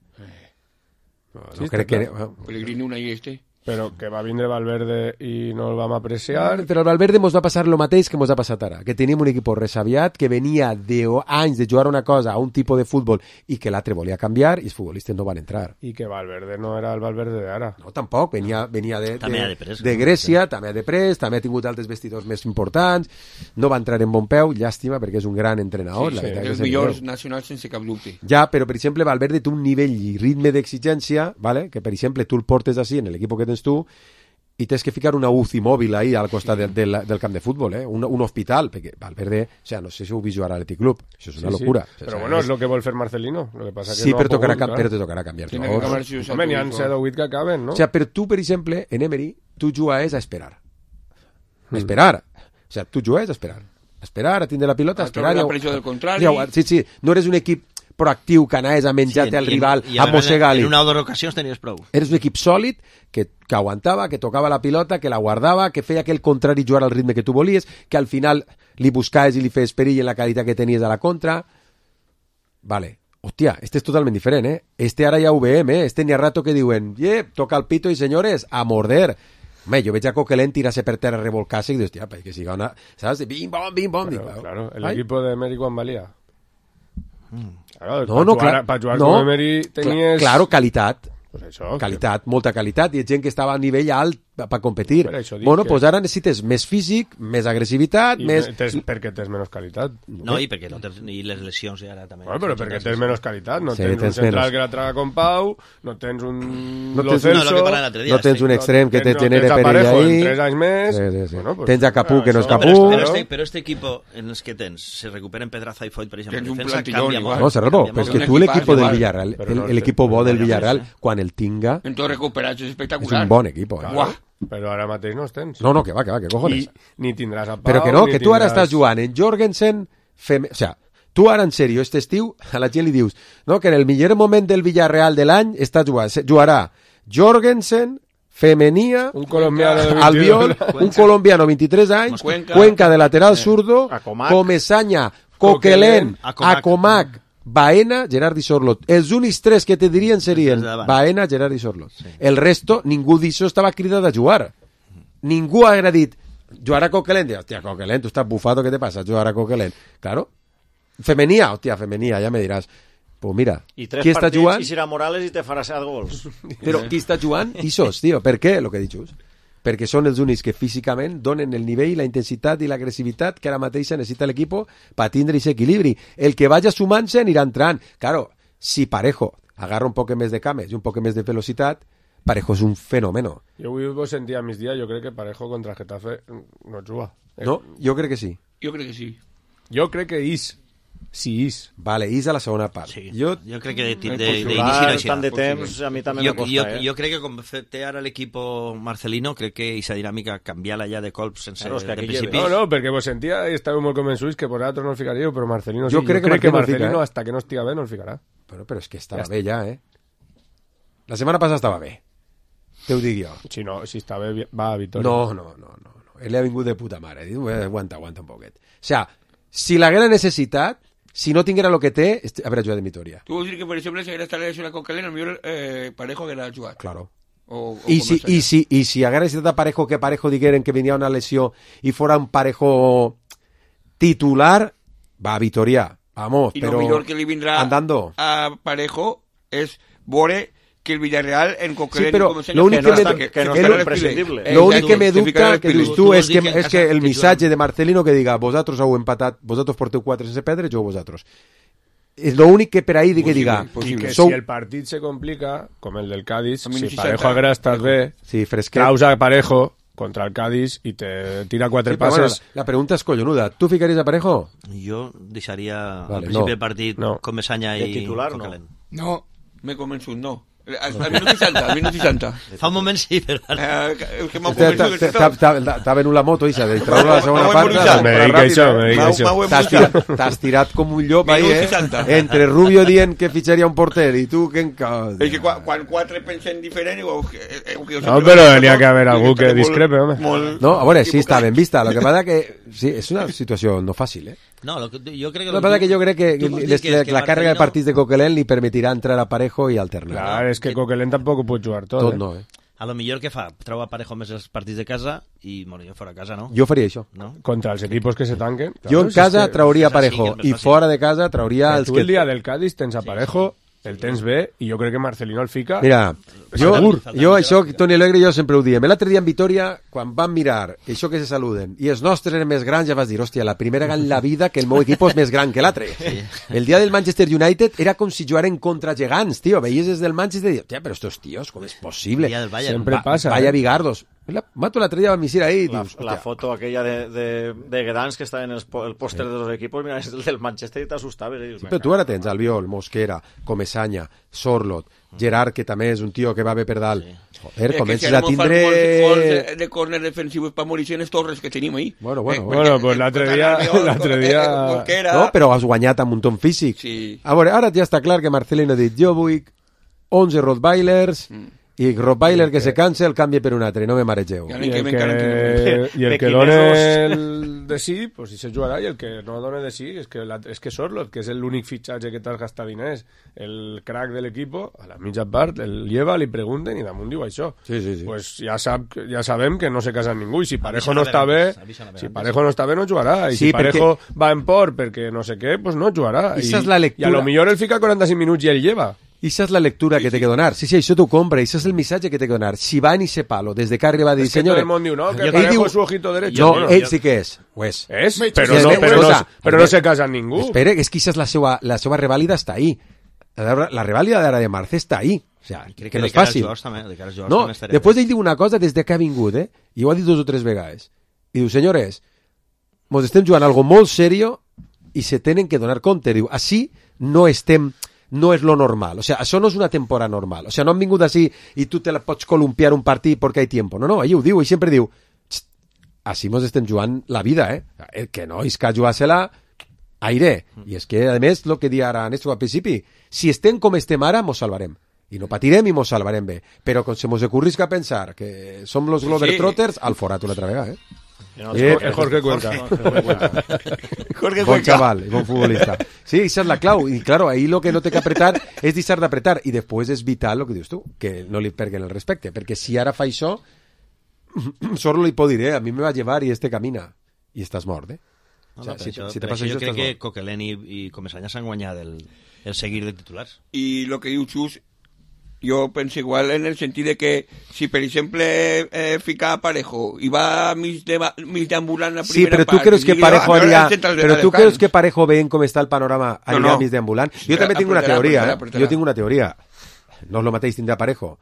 No, no sí, crec que... Bueno. Pellegrini una i este... Però que va vindre Valverde i no el vam apreciar. Però al Valverde mos va passar el mateix que mos ha passat ara, que tenim un equip resaviat que venia d'anys de jugar una cosa a un tipus de futbol i que l'altre volia canviar i els futbolistes no van entrar. I que Valverde no era el Valverde d'ara. No, tampoc, venia, venia de, de, de, pres, de Grècia, no? També ha de pres, també ha tingut altres vestidors més importants, no va entrar en bon peu, llàstima, perquè és un gran entrenador. Sí, sí, la els millors nacionals sense cap dubte. Ja, però per exemple Valverde té un nivell i ritme d'exigència, ¿vale? Que per exemple tu el portes així en l'equip que tens tu i tens que ficar una U C I mòbil ahí al costat sí. del, del, del camp de futbol, eh? un, un hospital, perquè Valverde, o sea, no sé si ho vi jugar a l'Athletic Club, això és una sí, locura. Sí. Però o sea, bueno, és lo que vol fer Marcelino. Lo que passa que sí, no però, tocarà, pogut, però te tocarà canviar. Home, n'hi ha set o vuit que acaben, no? O sea, però tu, per exemple, en Emery, tu jugaves a esperar. Mm. Esperar. O sea, tu jugaves a esperar. A esperar, a tindre la pilota, a esperar. La pressió del contrari. Sí, sí, no eres un equip proactiu que anaves a menjar-te sí, al rival, i, i a mossegar-li. En una o dues ocasions tenies prou. Eres un equip sòlid que, que aguantava, que tocava la pilota, que la guardava, que feia que el contrari jugar al ritme que tu volies, que al final li buscaves i li feies perill en la qualitat que tenies a la contra. Vale. Hòstia, este és totalment diferent, eh? Este ara ja ho veiem, eh? Este n'hi ha rato que diuen, yeah, toca el pito i senyores, a morder. Home, jo veig a Coquelin tirarse per terra, revolcar-se i dius, hòstia, que siga una... Saps? Bim, bom, bim, bom. Claro, dic, claro. El Ai? equipo de Emery quan valia. Mm. Claro, no, no, jugar, clar, jugar no, com Emery tenies... Claro, qualitat. Pues això, qualitat, que... molta qualitat, i gent que estava a nivell alt per competir. Per bueno, que... pues ara necessites més físic, més agressivitat, I més... Tens, perquè tens menys qualitat. No, i perquè no tens ni les lesions ara també. Bueno, però perquè tens menys qualitat. No sí, tens, tens un central menos. que la traga con Pau, no tens un... No tens, Celso, no, no, dia, no tens un extrem no, que te no, genere perill ahí. Tres anys més. Sí, sí, sí. Bueno, pues, tens a Capú, que no és no, Capú. Però, però, este, però este equipo en els que tens, se recuperen Pedraza i Foyt, per exemple, en defensa canvia molt. No, Serrano, però és que tu l'equip del Villarreal, l'equip bo del Villarreal, quan el tinga... En tot recuperat, és espectacular. És un bon equip, eh? Uah. Però ara mateix no els tens. No, no, que va, que va, que cojones. I, ni tindràs a Pau, però que no, que tu ara tindràs... estàs jugant en Jorgensen, fem... o sea, Tu ara, en sèrio, este estiu, a la gent li dius no, que en el millor moment del Villarreal de l'any està jugant, jugarà Jorgensen, Femenia, un colombiano de Albiol, un colombiano vint-i-tres anys, Cuenca, Cuenca de lateral zurdo, Comesaña, Coquelin, Acomac, Baena, Gerard i Sorlot. Els únics tres que te dirien serien Baena, Gerard i Sorlot. Sí. El resto, ningú d'això estava cridat a jugar. Ningú ha dit jugar a Coquelin. Diu, hòstia, Coquelin, tu estàs bufado, què te passa? Jugar a Coquelin. Claro. Femenia, hòstia, Femenia, ja me diràs. Pues mira, I tres qui està jugant? I serà Morales i te farà set gols. Però qui està jugant? Ixos, tio. Per què? Lo que he dit just. Perquè són els únics que físicament donen el nivell, la intensitat i l'agressivitat que ara mateix necessita l'equip per tindre aquest equilibri. El que vagi sumant-se anirà entrant. Claro, si Parejo agarra un poc més de cames i un poc més de velocitat, Parejo és un fenómeno. Jo avui vos sentia a migdia, jo crec que Parejo contra Getafe no juga. No? Jo crec que sí. Jo crec que sí. Jo crec que is. Sí, is. Vale, is a la segona part. Sí. Jo, jo crec que d'inici de, de, no així. Tant de temps, a mi també jo, me costa, jo, eh? jo crec que com té ara l'equip Marcelino, crec que aquesta dinàmica canviar-la ja de colps sense claro, de principis. No, no, perquè vos sentia i estàveu molt convençuts que vosaltres no el ficaríeu, però Marcelino sí. Jo crec, jo crec que, que Marcelino, fica, eh? hasta que no estiga bé, no el ficarà. Però, però és que estava ja bé ja, eh? La setmana passada estava bé. Te ho dic jo. Si no, si està bé, va a Vitoria. No, no, no, no. no. Ell ha vingut de puta mare. Diu, aguanta, aguanta un poquet. O sea, si l'haguera necessitat, si no tinguera el que té, haurà jugat en Vitoria. Tu vols dir que, per exemple, si haguera estat lesionat con Coquelin, el millor eh, Parejo haguera jugat. Claro. O, o I, si, i, si, I si haguera necessitat a Parejo, que Parejo digueren que venia una lesió i fora un Parejo titular, va a Vitoria. Vamos, I però... lo millor que li vindrà andando. a Parejo és veure que el Villarreal en Coquelin... Sí, però l'únic que, me, que, que, no que, imprescindible. L'únic que me dubta que dius tu és que, és que el missatge de Marcelino que diga vosaltres heu empatat, vosaltres porteu quatre sense perdre, jo vosaltres. És l'únic que per ahí que diga... I que sou... si el partit se complica, com el del Cádiz, si Parejo haguera estat bé, sí, traus a Parejo contra el Cádiz i te tira quatre sí, passes... Bueno, la pregunta és collonuda. Tu ficaries a Parejo? Jo deixaria vale, al principi no. del partit no. Comesaña i titular, Coquelin. No. no, m'he convençut, no. Al, al minut seixanta, al minut seixanta. Fa un moment sí, però... Eh, el que m'ha convençut... T'ha venut la moto, Isa, de treure la segona part. Me dic això, me dic això. T'has tirat com un llop ahí, eh? Entre Rubio dient que fitxaria un porter i tu que encara... És que quan quatre pensen diferent... No, però n'hi ha que haver algú que discrepe, home. No, a veure, sí, està ben vista. Lo que passa que... Sí, és una situació no fàcil, eh? No, lo que, jo crec que... Lo que passa que jo crec que, les, que, que la càrrega de partits de Coquelin li permetirà entrar a Parejo i alternar. Clar, és que Coquelin tampoc ho pot jugar tot. Tot eh? no, eh? A lo millor que fa, treu a Parejo més els partits de casa i, bueno, jo fora a casa, no? Jo faria això. No? Contra els equipos que se tanquen. Claro, jo en casa que, trauria Parejo i fora de casa trauria els tu que... el dia del Cádiz tens a Parejo, el tens bé, i jo crec que Marcelino el fica... Mira, jo, jo això, Toni Alegre i jo sempre ho diem. L'altre dia en Vitoria, quan vam mirar això que se saluden, i els nostres eren més grans, ja vas dir, hòstia, la primera en la vida que el meu equip és més gran que l'altre. Sí. El dia del Manchester United era com si jugaren contra gegants, tio. Veies des del Manchester i dius, hòstia, però estos tios, com és possible? Sempre Va, passa. Vaya eh? bigardos. La, mato l'altre dia va misir ahí. La, dius, la foto aquella de, de, de Gdansk que estava en el, el póster de los equipos, mira, és el del Manchester i t'assustaves. Eh? Sí, però tu ara tens Albiol, Mosquera, Comesaña, Sorlot, Gerard, que també és un tio que va bé per dalt. Sí. Joder, comences a tindre... Gols de córner defensius per morir en les torres que tenim ahí. Bueno, bueno. Eh, bueno, pues l'altre dia... L'altre dia... No, però has guanyat amb un ton físic. Sí. A veure, ara ja està clar que Marcelino ha dit, jo vull onze Rottweilers... Mm. I Rottweiler que, que se canse el canvi per un altre, no me maregeu. I el que, i el que dona el de sí, pues sí se jugarà, i el que no dona de sí és que, la, és que Sorlot, que és l'únic fitxatge que t'has gastat diners, el crack de l'equip, a la mitja part el lleva, li pregunten i damunt diu això. Sí, sí, sí. Pues ja, sap, ja sabem que no se casa ningú, i si Parejo no està bé, si Parejo no està bé no jugarà, i sí, si Parejo perquè... va en por perquè no sé què, pues no jugarà. I, és la lectura... I a lo millor el fica quaranta-cinc minuts i el lleva. I això és la lectura sí, que té que donar. Sí, sí, això t'ho compra. Això és el missatge que té que donar. Si va en ese palo, des de que arriba a dir... És que tot el món diu, no, que Parejo diu... és su ojito derecho. No, bueno, ell sí que és. Ho és. És? Però, no, però, no, però no se casa amb ningú. Espera, és que això és la seva, la seva revàlida està ahí. La, la revàlida d'ara de Marce està ahí. O sea, que, que no és fàcil. També, de no, després ell diu una cosa des de que ha vingut, eh? I ho ha dit dos o tres vegades. I diu, senyores, mos estem jugant algo molt serio i se tenen que donar compte. Diu, així no estem... no és lo normal, o sea, això no és una temporada normal, o sea, no han vingut així i tu te la pots columpiar un partit perquè hi tiempo, no, no, ell ho diu, ell sempre diu així mos estem jugant la vida, eh, el que no és que jugar-se-la aire. I és que, a més, el que dia ara Néstor al principi, si estem com estem ara, mos salvarem. I no patirem i mos salvarem bé. Però quan se mos ocurrisca pensar que som los Globetrotters, al forat una altra vegada, eh? No, eh, eh, Jorge Cuenca. Jorge bon Cuenca. chaval, bon futbolista. Sí, esa es la clau. Y claro, ahí lo que no té que apretar és deixar d'apretar. I després és vital lo que dius tu, que no li perguen el respecte. Perquè si ara fa això, solo li pot dir, eh? A mi me va llevar i este camina. I estàs mort, eh? No, O sea, no, si, això, si te per passa això això, jo crec estàs que mort. Coquelin i, i Comesaña s'han guanyat el, el seguir de titulars. I el que diu Xus, jo penso igual en el sentit de que si, per exemple, eh, fica a Parejo i va mig, de, mig deambulant la Sí, primera pero tú part... crees que i Parejo digue, haría... "Ah, central de Pero tú Alejandro". crees que Parejo ven cómo está el panorama No, anirà no. mig deambulant. Jo també tinc una Apretarà, teoria, apretarà, eh? apretarà. Jo tinc una teoria. No és el mateix tindre Parejo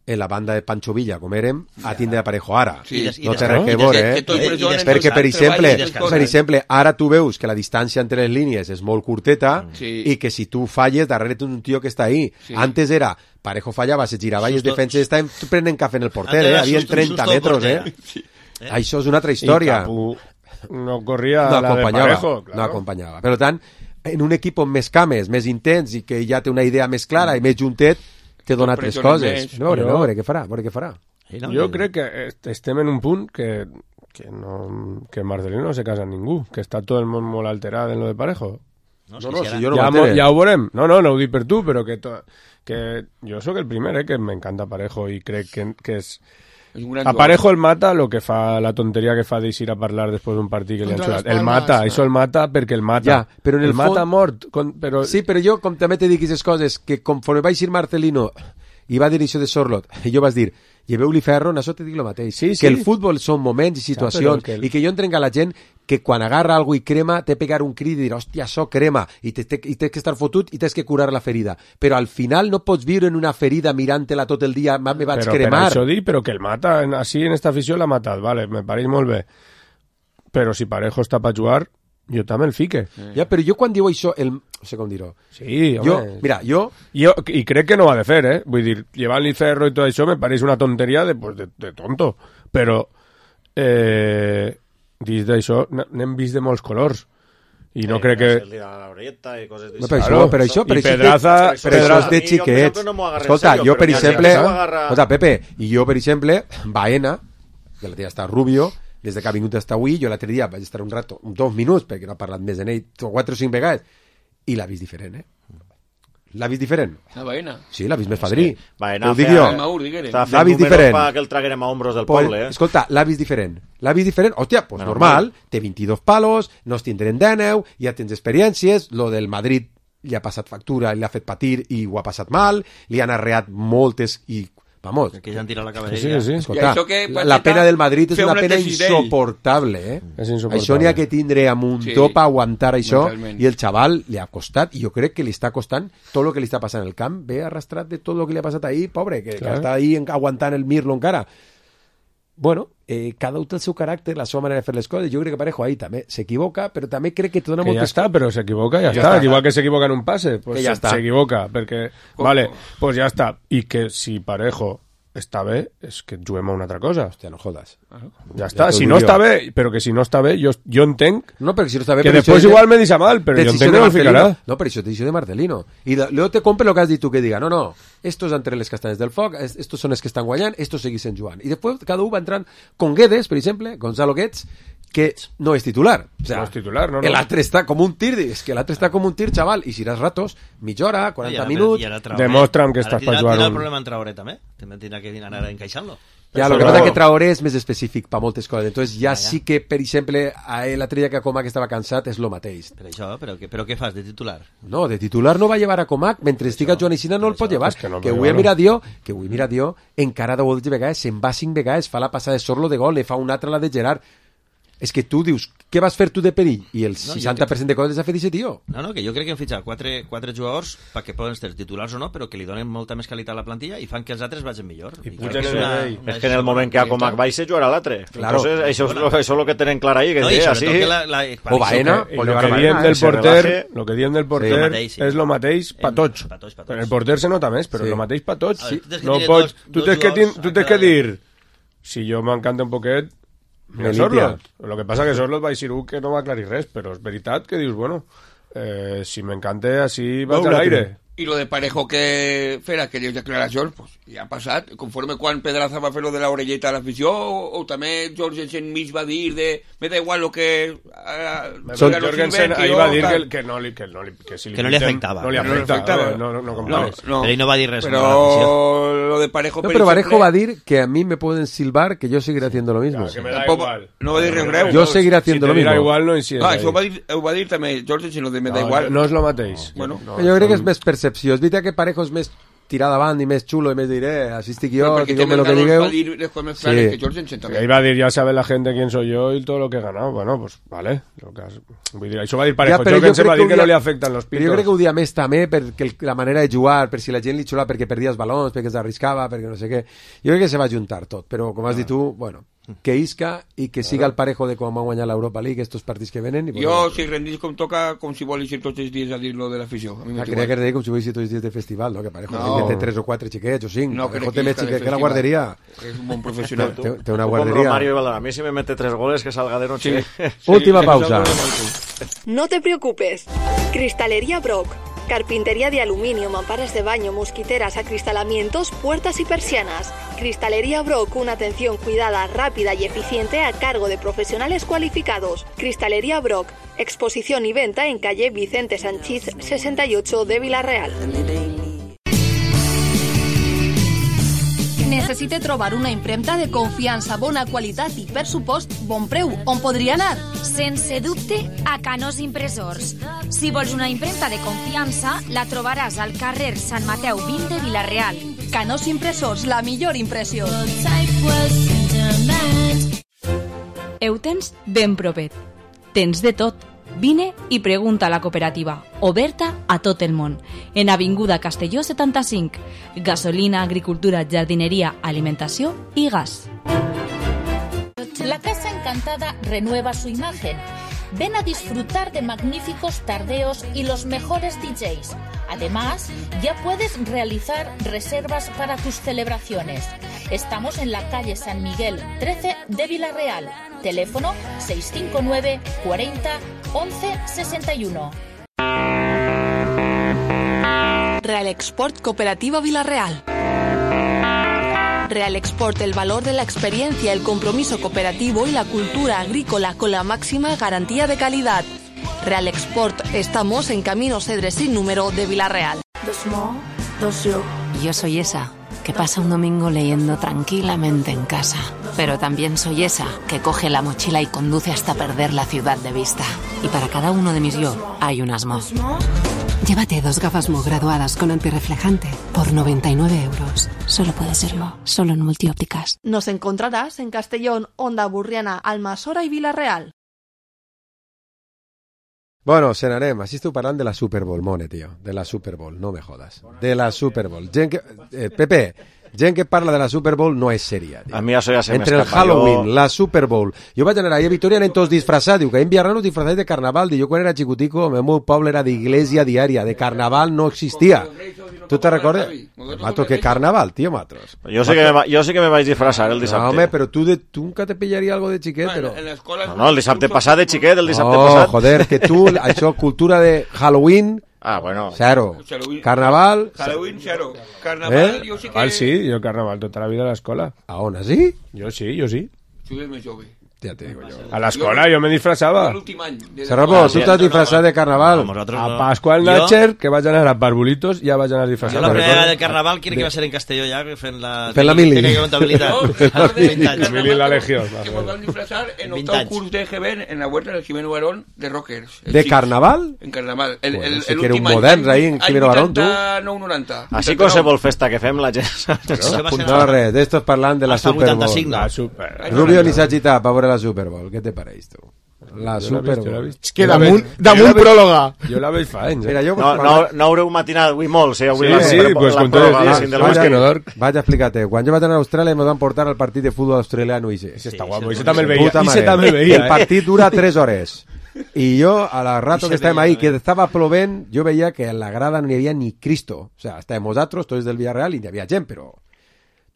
en la banda de Pancho Villa, com érem, a tindre Parejo ara. Sí. No I té des- res que i veure, des- eh? que tots presionen, Perquè, per tots exemple, treballen, per exemple, ara tu veus que la distància entre les línies és molt curteta Sí. i que si tu falles, darrere té un tio que està ahí. Sí. Antes era, Parejo fallava, se girava i els Susto- defenses estaven prenent cafè en el porter, Antes eh? era Havien susto- trenta susto al metres, porter. eh? Sí. Eh? Això és una altra I història. Capu no corria no la de acompanyava, Parejo, claro. no acompanyava. Per tant, en un equip amb més cames, més intens i que ja té una idea més clara i més juntet, té donat les pressionen coses. més. A veure, Jo- a veure què farà, a veure què farà. Sí, no? Jo crec que est- estem en un punt que, que, no, que Marcelino no se casa amb ningú, que està tot el món molt alterat en lo de Parejo. No, No, no, si si ara- jo no ja, m'entere. mo- ja ho veurem. No, no, no ho dic per tu, però que, to, que jo sóc el primer, eh, que m'encanta Parejo i crec que, que és... És un gran A jugador. Parejo el mata lo que fa, la tonteria que fa d'eixir a parlar després d'un partit que li han Contra xulat. les El Palmes, mata, eh? això el mata perquè el mata. Ja, però en el mata fons- mort. Con, però... Sí, però jo, com també te dic aquestes coses, que conforme va eixir Marcelino i va dir això de Sorlot, i jo vas dir, lleveu-li ferro, en això te dic el mateix. Sí, sí. Que el futbol són moments i situacions, Ja, però que el- i que jo entrenc a la gent que quan agarra algo i crema, té pegar un crit i dir, hòstia, això crema, i, te, te, i tens que estar fotut i tens que curar la ferida. Però al final no pots viure en una ferida mirant-te-la tot el dia, me vaig però cremar. Per això dic, però que el mata, en, així en esta afició l'ha matat, vale, me pareix molt bé. Però si Parejo està per jugar, jo també el fique. Ja, però jo quan diu això, el... no sé com dir-ho. Sí, Jo, home. mira, jo... Jo, I crec que no ho ha de fer, eh? Vull dir, llevar-li ferro i tot això me pareix una tonteria de, pues, de, de tonto. Però, eh, dins d'això, n- n'hem vist de molts colors. I no crec que... Se li da la orelleta i coses No, d'això. per això, Claro. per això, per I això, Pedraza- per això Pedraza- és de a mi, jo, per xiquets. exemple, no m'ho agarré en Escolta, serio, jo, però per ja- ja exemple... s'ho agarra- Escolta, Pepe, i jo, per exemple, Baena, que la tia està Rubio, des de que ha vingut hasta avui, jo l'altre dia vaig estar un rato, dos minuts, perquè no ha parlat més de ell, quatre o cinc vegades, i l'ha vist diferent, eh? L'ha vist diferent? La Baena. Sí, l'ha vist més fadrí. Vaena Ho dic feia- jo. Maur, diguere. Estava L'ha fent vist números diferent. perquè el traguérem a hombros del Pues, poble, eh? escolta, l'ha vist diferent. L'ha vist diferent. Hòstia, pues Menos normal. mal. Té vint-i-dos palos, no es tindrem dèneu, ja tens experiències, lo del Madrid li ha passat factura i l'ha fet patir i ho ha passat mal, li han arreat moltes i, vamos, Que ja han tirat la Sí, cavalleria. sí, sí. escolta, I això que la, Pacheta la pena del Madrid és feia una un pena exercici d'ell. insoportable, eh? És insoportable. Això n'hi ha que tindre amb un Sí, top a aguantar això, mentalment. i el xaval li ha costat, i jo crec que li està costant tot el que li està passant al camp, ve arrastrat de tot el que li ha passat ahir, pobre, que, que Clar. està ahí en- aguantant el mirlo encara. Bueno, eh, cada un té el seu caràcter, la seva manera de fer les coses. Jo crec que Parejo ahí també s'equivoca, però també crec que te dona Que ja moltes... està, però s'equivoca, ja, Ja està. està. Igual que s'equivoca en un passe, pues Que ja està. s'equivoca, perquè... Vale, pues ja està. I que si Parejo està bé, és que juguem a una altra cosa. Hòstia, no jodas. Ja està. t'ho Si dic no jo. està bé, però que si no està bé, jo, jo entenc No, perquè si no està bé... que per després això- igual me deixa mal, però jo Decisió entenc de que no el Marcelino. ficarà. No, pero eso te dice de Marcelino. Y de- luego te compre lo que has dit tu, que diga, no, no, estos entre les castanes del foc, es- estos són els que estan guanyant, estos segueixen jugant. I després cada un va entrant con Guedes, per exemple, Gonzalo Guedes, que no és titular. O sea, No és titular, no, no. L'altre està com un tir, és que l'altre està com un tir, xaval, i si eres ratos, mitja hora, quaranta I ara- minuts... i ara Traoré. Demostra'm que Ara estàs tindrà- per jugar tindrà un- el problema en Traoré també. També tindrà que anar encaixant-lo. Ja, lo que Però- pasa que Traoré és més específic per moltes coses. Entonces ja sí que, per exemple, a ell l'altre dia que a Comac estava cansat és lo mateix. Per això, però, que, però què fas de titular? No, de titular no va llevar a Comac, mentre estigui Joan Eixina no el pot llevar. és que no que pot avui ha llevar-lo. mirat jo, que avui mira jo, encara deu vegades, se'n va cinc vegades, fa la passada de Sorlo de gol, le fa una altra la de Gerard. És que tu dius, què vas fer tu de perill? I el jo seixanta per cent de coses les ha fet aquest tio. No, no, que jo crec que hem fitxat quatre, quatre jugadors perquè poden ser titulars o no, però que li donen molta més qualitat a la plantilla i fan que els altres vagin millor. I pugen crec que és el una- nivell. una És que en el moment que a Comac baixa jugarà l'altre. Claro. Entonces, això és, lo, això és lo que tenen clar ahí, que No, i sí, sobretot así... que la, la, O Baena, Y o lo llevar que a diem Baena, del eh? se porter, relaje. lo que diem del Lo porter mateix, sí. és lo mateix pa Em- tots. pa tots, pa tots. En el porter se nota més, però Sí. lo mateix pa tots. A veure, tu tens que No tenir pots, dos- tu dos tens que, jugadors tin- tu a tens que cada- dir, si jo m'encanta un poquet, mira Melitia. Sorlot. Lo que passa que Sorlot va dir que no va aclarir res, però és veritat que dius, bueno, eh, si m'encanta, així vaig a l'aire. I lo de Parejo que fer aquelles declaracions, pues, ja ha passat. Conforme quan Pedraza va fer lo de la orelleta a l'afició, o, o també Jorgensen mig va dir de me da igual lo que... Uh, Son, Jorgensen ahí va dir que, que, no li, que, no li, que, si que no li afectava. No li afectava. No, no, no, no, no, no. Però ell no va dir res. Però lo de Parejo... No, pero Parejo va a decir que a mí me pueden silbar que yo seguiré haciendo lo mismo. Claro, que me da igual. No va a dir res greu. Yo seguiré haciendo si lo mismo. Si igual, no hi ah, això ho va dir, ho va dir també Jorgensen, lo de me da no, igual. No és lo mateix. Bueno, no, jo crec que és més percepció. És veritat que Parejo és més tirar davant i més xulo i més diré, así estic jo, digueu-me lo que digueu. Sí. Ahí va a dir, ya sabe la gente quién soy yo y todo lo que he ganado. Bueno, pues vale. Lo que has... Vull dir, això va dir Parejo. Ja, Jorgensen va dir que, que no li afecten los pitos. Però jo crec que ho dia més també perquè la manera de jugar, per si la gent li xula perquè perdia els balons, perquè s'arriscava, perquè no sé què. Jo crec que se va juntar tot, però com has dit tu, bueno, que isca i que siga el Parejo de com va guanyar l'Europa League estos partits que venen. I jo, si rendís com toca, com si vol ir tots els dies a dir-lo de l'afició. Ah, creia que rendir com si vol ir tots els dies de festival, no? Que Parejo no. té tres o quatre xiquets o cinc. No, Parejo té més xiquets que la guarderia. És un bon professional. té, té una un guarderia. Bon Romario i Valdemar. A mi si me mete tres goles que salga de noche. Sí. Sí, última pausa. No te preocupes. Cristalería Brock. Carpintería de aluminio, mamparas de baño, mosquiteras, acristalamientos, puertas y persianas. Cristalería Brock, una atención cuidada, rápida y eficiente a cargo de profesionales cualificados. Cristalería Brock, exposición y venta en calle Vicente Sanchís sesenta y ocho de Vila-real. Necessite trobar una impremta de confiança, bona qualitat i, per supost, bon preu. On podria anar? Sense dubte, a Canós Impressors. Si vols una impremta de confiança, la trobaràs al carrer Sant Mateu vint de Vila-real. Canós Impressors, la millor impressió. Ho tens ben propet. Tens de tot. Vine i pregunta a la cooperativa, oberta a tot el món, en Avinguda Castelló setanta-cinc, gasolina, agricultura, jardineria, alimentació i gas. La Casa Encantada renueva su imagen. Ven a disfrutar de magníficos tardeos y los mejores D Js. Además, ya puedes realizar reservas para tus celebraciones. Estamos en la calle San Miguel trece de Vila-real. Teléfono seis cinco nueve cuarenta once sesenta y uno. Real Export Cooperativa Vila-real. Real Export, el valor de la experiencia, el compromiso cooperativo y la cultura agrícola con la máxima garantía de calidad. Real Export, estamos en Camino Cedres sin número de Vila-real. Yo soy esa que pasa un domingo leyendo tranquilamente en casa. Pero también soy esa que coge la mochila y conduce hasta perder la ciudad de vista. Y para cada uno de mis yo hay un Asmo. Llévate dos gafas Mo graduadas con antirreflejante por noventa y nueve euros. Solo puede serlo, solo en Multiópticas. Nos encontrarás en Castellón, Onda Burriana, Almassora y Vila-real. Bueno, se n'anem. Així esteu parlant de la Super Bowl, Mone, tio. De la Super Bowl, no me jodas. De la Super Bowl. Gent que... Eh, Pepe, gent que parla de la Super Bowl no és sèria, tio. A mi això ja se Entre el Halloween, jo... la Super Bowl... Jo vaig anar allà a Vitoria, anem tots disfressats. Diu que en Villarreal nos disfrazáis de carnaval. Diu, jo quan era xicutico, el meu poble era d'iglesia diària. De carnaval no existia. Tu te recordes? Matros, que carnaval, tío, Matros. Yo sé, que me, yo sé que me vais a disfrazar el dissabte. No, home, però tu, de, tu nunca te pillaria algo de xiquet, però... No, no, el dissabte passat de xiquet, el dissabte no, passat... No, joder, que tu, això, cultura de Halloween... Ah, bueno. Cero. Carnaval... Halloween, cero. Carnaval, eh? jo sí que... Carnaval sí, jo carnaval tota la vida a l'escola. A on, sí? Jo sí, jo sí. Tu eres més jove. Ja te digo yo. A l'escola jo me disfrazava. Serrapo, tu t'has disfrazat de carnaval. No, a Pasqua al Natcher, que vaig anar a Barbolitos, ja vaig anar disfrazat. Jo la primera de carnaval crec que va ser en Castelló ja, fent la... Fent la mili. Tècnica de comptabilitat. La mili i la legió. Que nos van disfrazar en octavo curso de G B en la huerta del Jimeno Barón de rockers. ¿De carnaval? En carnaval. El, bueno, el, sí el que era un moderns ahí en Jimeno Barón, tu. no noranta. Així qualsevol festa que fem la gent... No, res, d'estos parlant de la Super Bowl. Rubio ni s'ha agitat per veure la Super Bowl. Què te pareix, tu? La jo Super Bowl. Bowl. És que damunt, damunt pròloga. Jo la veig fa anys. Mira, jo no, no, no haureu matinat avui molt, sí, avui sí, la, sí, la, pues la con todo el sin del vaig, que no dorm. Vaig a explicar-te. Quan jo vaig anar a Austràlia me van portar al partit de futbol australiano i ese està guapo, ese també el veia. Ese també el veia. El partit dura tres hores. I jo, a la rato que estàvem ahí, que estava plovent, jo veia que en la grada no hi havia ni Cristo. O sea, estàvem nosaltres, tots del Villarreal, i hi havia gent, però...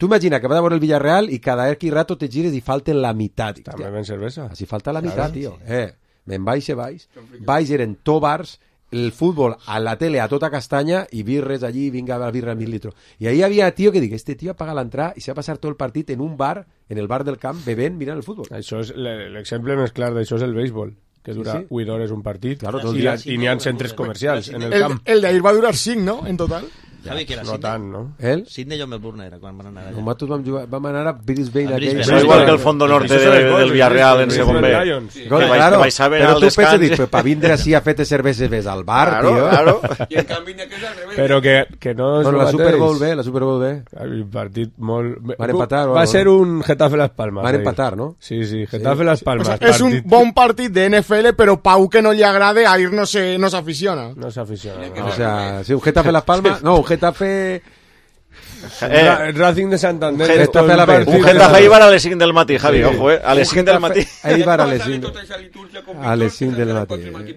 Tu imagina que vas a veure el Villarreal i cada X rato te gires i falten la meitat. També ven cervesa. Així falta la meitat, tio. Eh, me'n baix i baix. Baix eren tòbars el futbol a la tele a tota castanya i birres allí, vinga la birra a mil litros. I ahí havia tío que dic, este tío apaga l'entrada i se va passar tot el partit en un bar, en el bar del camp, bevent, mirant el futbol. Això és l'exemple més clar d'això és el béisbol, que dura Sí, sí. vuit hores un partit, Claro, tot el i, dia. i n'hi ha centres comercials en el El, camp. el d'ahir va durar cinc, no?, en total. Javi, que era No Sydney. tant, no? El? Sydney o Melbourne era quan van anar allà. Nosaltres vam, jugar, vam anar a Brisbane. A Brisbane. Eso igual que el Fondo Norte de, del Villarreal en segon B. Sí. Claro, vais a ver però al tu pensa, descans. dic, pues, pa vindre així a fer cerveses ves al bar, Claro, tio. claro. I en canvi n'hi ha que és al revés. Però que, que no és Bueno, el la Super Bowl mateix. B, la Super Bowl B. Un partit molt... Van empatar o Va algo, ser no? un Getafe Las Palmas. Van ahir. empatar, no? Sí, sí, Getafe Las O Palmas. sea, és un partit- bon partit de N F L, però Pau que no li agrade a ir no se, no s'aficiona. No s'aficiona. O sea, si un Getafe Las Palmas... No, un Getafe... Eh, Ra- Racing de Santander. Un esto Getafe es a la vez. partido- Un Getafe ahí van a les cinc del matí, Javi, Sí. ojo, eh. A les Un cinc del Getafe- matí. Ahí va a les cinc. Tota aquesta litúrgia com A les cinc del matí.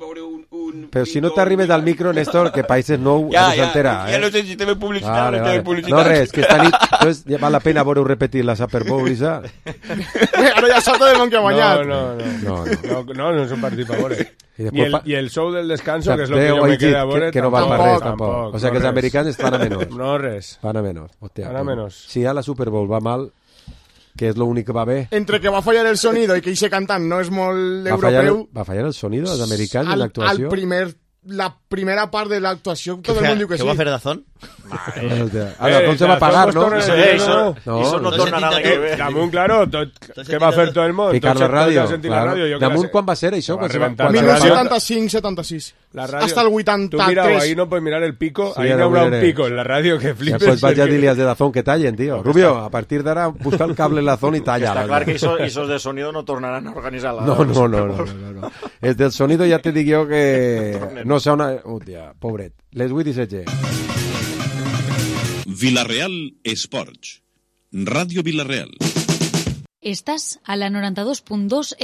Però si no t'arrimes al micro, Néstor, que países nou Ja, no ja, s'entera, ja eh? no sé si també publicitat Vale, o no vale. té publicitat. No, res, que esta nit entonces, ja val la pena veure repetir la Super Bowl, Isa. Ara ja salta de que ha guanyat. No, no, no. No, no. No, no, no és un partit per veure. I I després el, fa- I el show del descanso, O sea, que és el que Déu jo ha me dit queda a veure, que, que no val per res, tampoc. O sea, que els no americans res. estan a menys. No res. Van a menys. Hòstia, Van a pues, menys. Si a la Super Bowl va mal, que és l'únic que va bé, Entre que va fallar el sonido i que ese cantant no és molt va fallar, europeu, va fallar el sonido dels americans en al, al l'actuació. primer, la primera part de l'actuació tot el Què món diu que què sí. va fer Dazón? Hòstia. Ah, Dazón se va Dazón pagar, pues no? torna- Eso, no, eso, no, eso no no tornarà se la que ve. Damunt, claro, tot, què va fer tot el món? Ficar Tots- la tots ràdio. han sentit la Claro. ràdio, jo que Damunt la sé. quan va ser això? Va Quan se va, rebentar quan la se dinou va- ràdio. setanta-cinc setanta-sis. La ràdio. Hasta el Tu mira, vuitanta-tres. ahí no puedes mirar el pico, Sí, ahí ja no haurà ho un miraré. pico en la ràdio que Ja, flipes. pues vaig a dir-li als de Dazón que tallen, tío. Rubio, a partir d'ara busca el cable en la zona i talla. Está claro que esos, esos de sonido no tornarán a organizar la... No, no, no, no, no, no. El del sonido ja te dic jo que no sona... Hòstia, pobret. Les vuit i setze. Villarreal Esports. Ràdio Villarreal. Estàs a la noranta dos punt dos F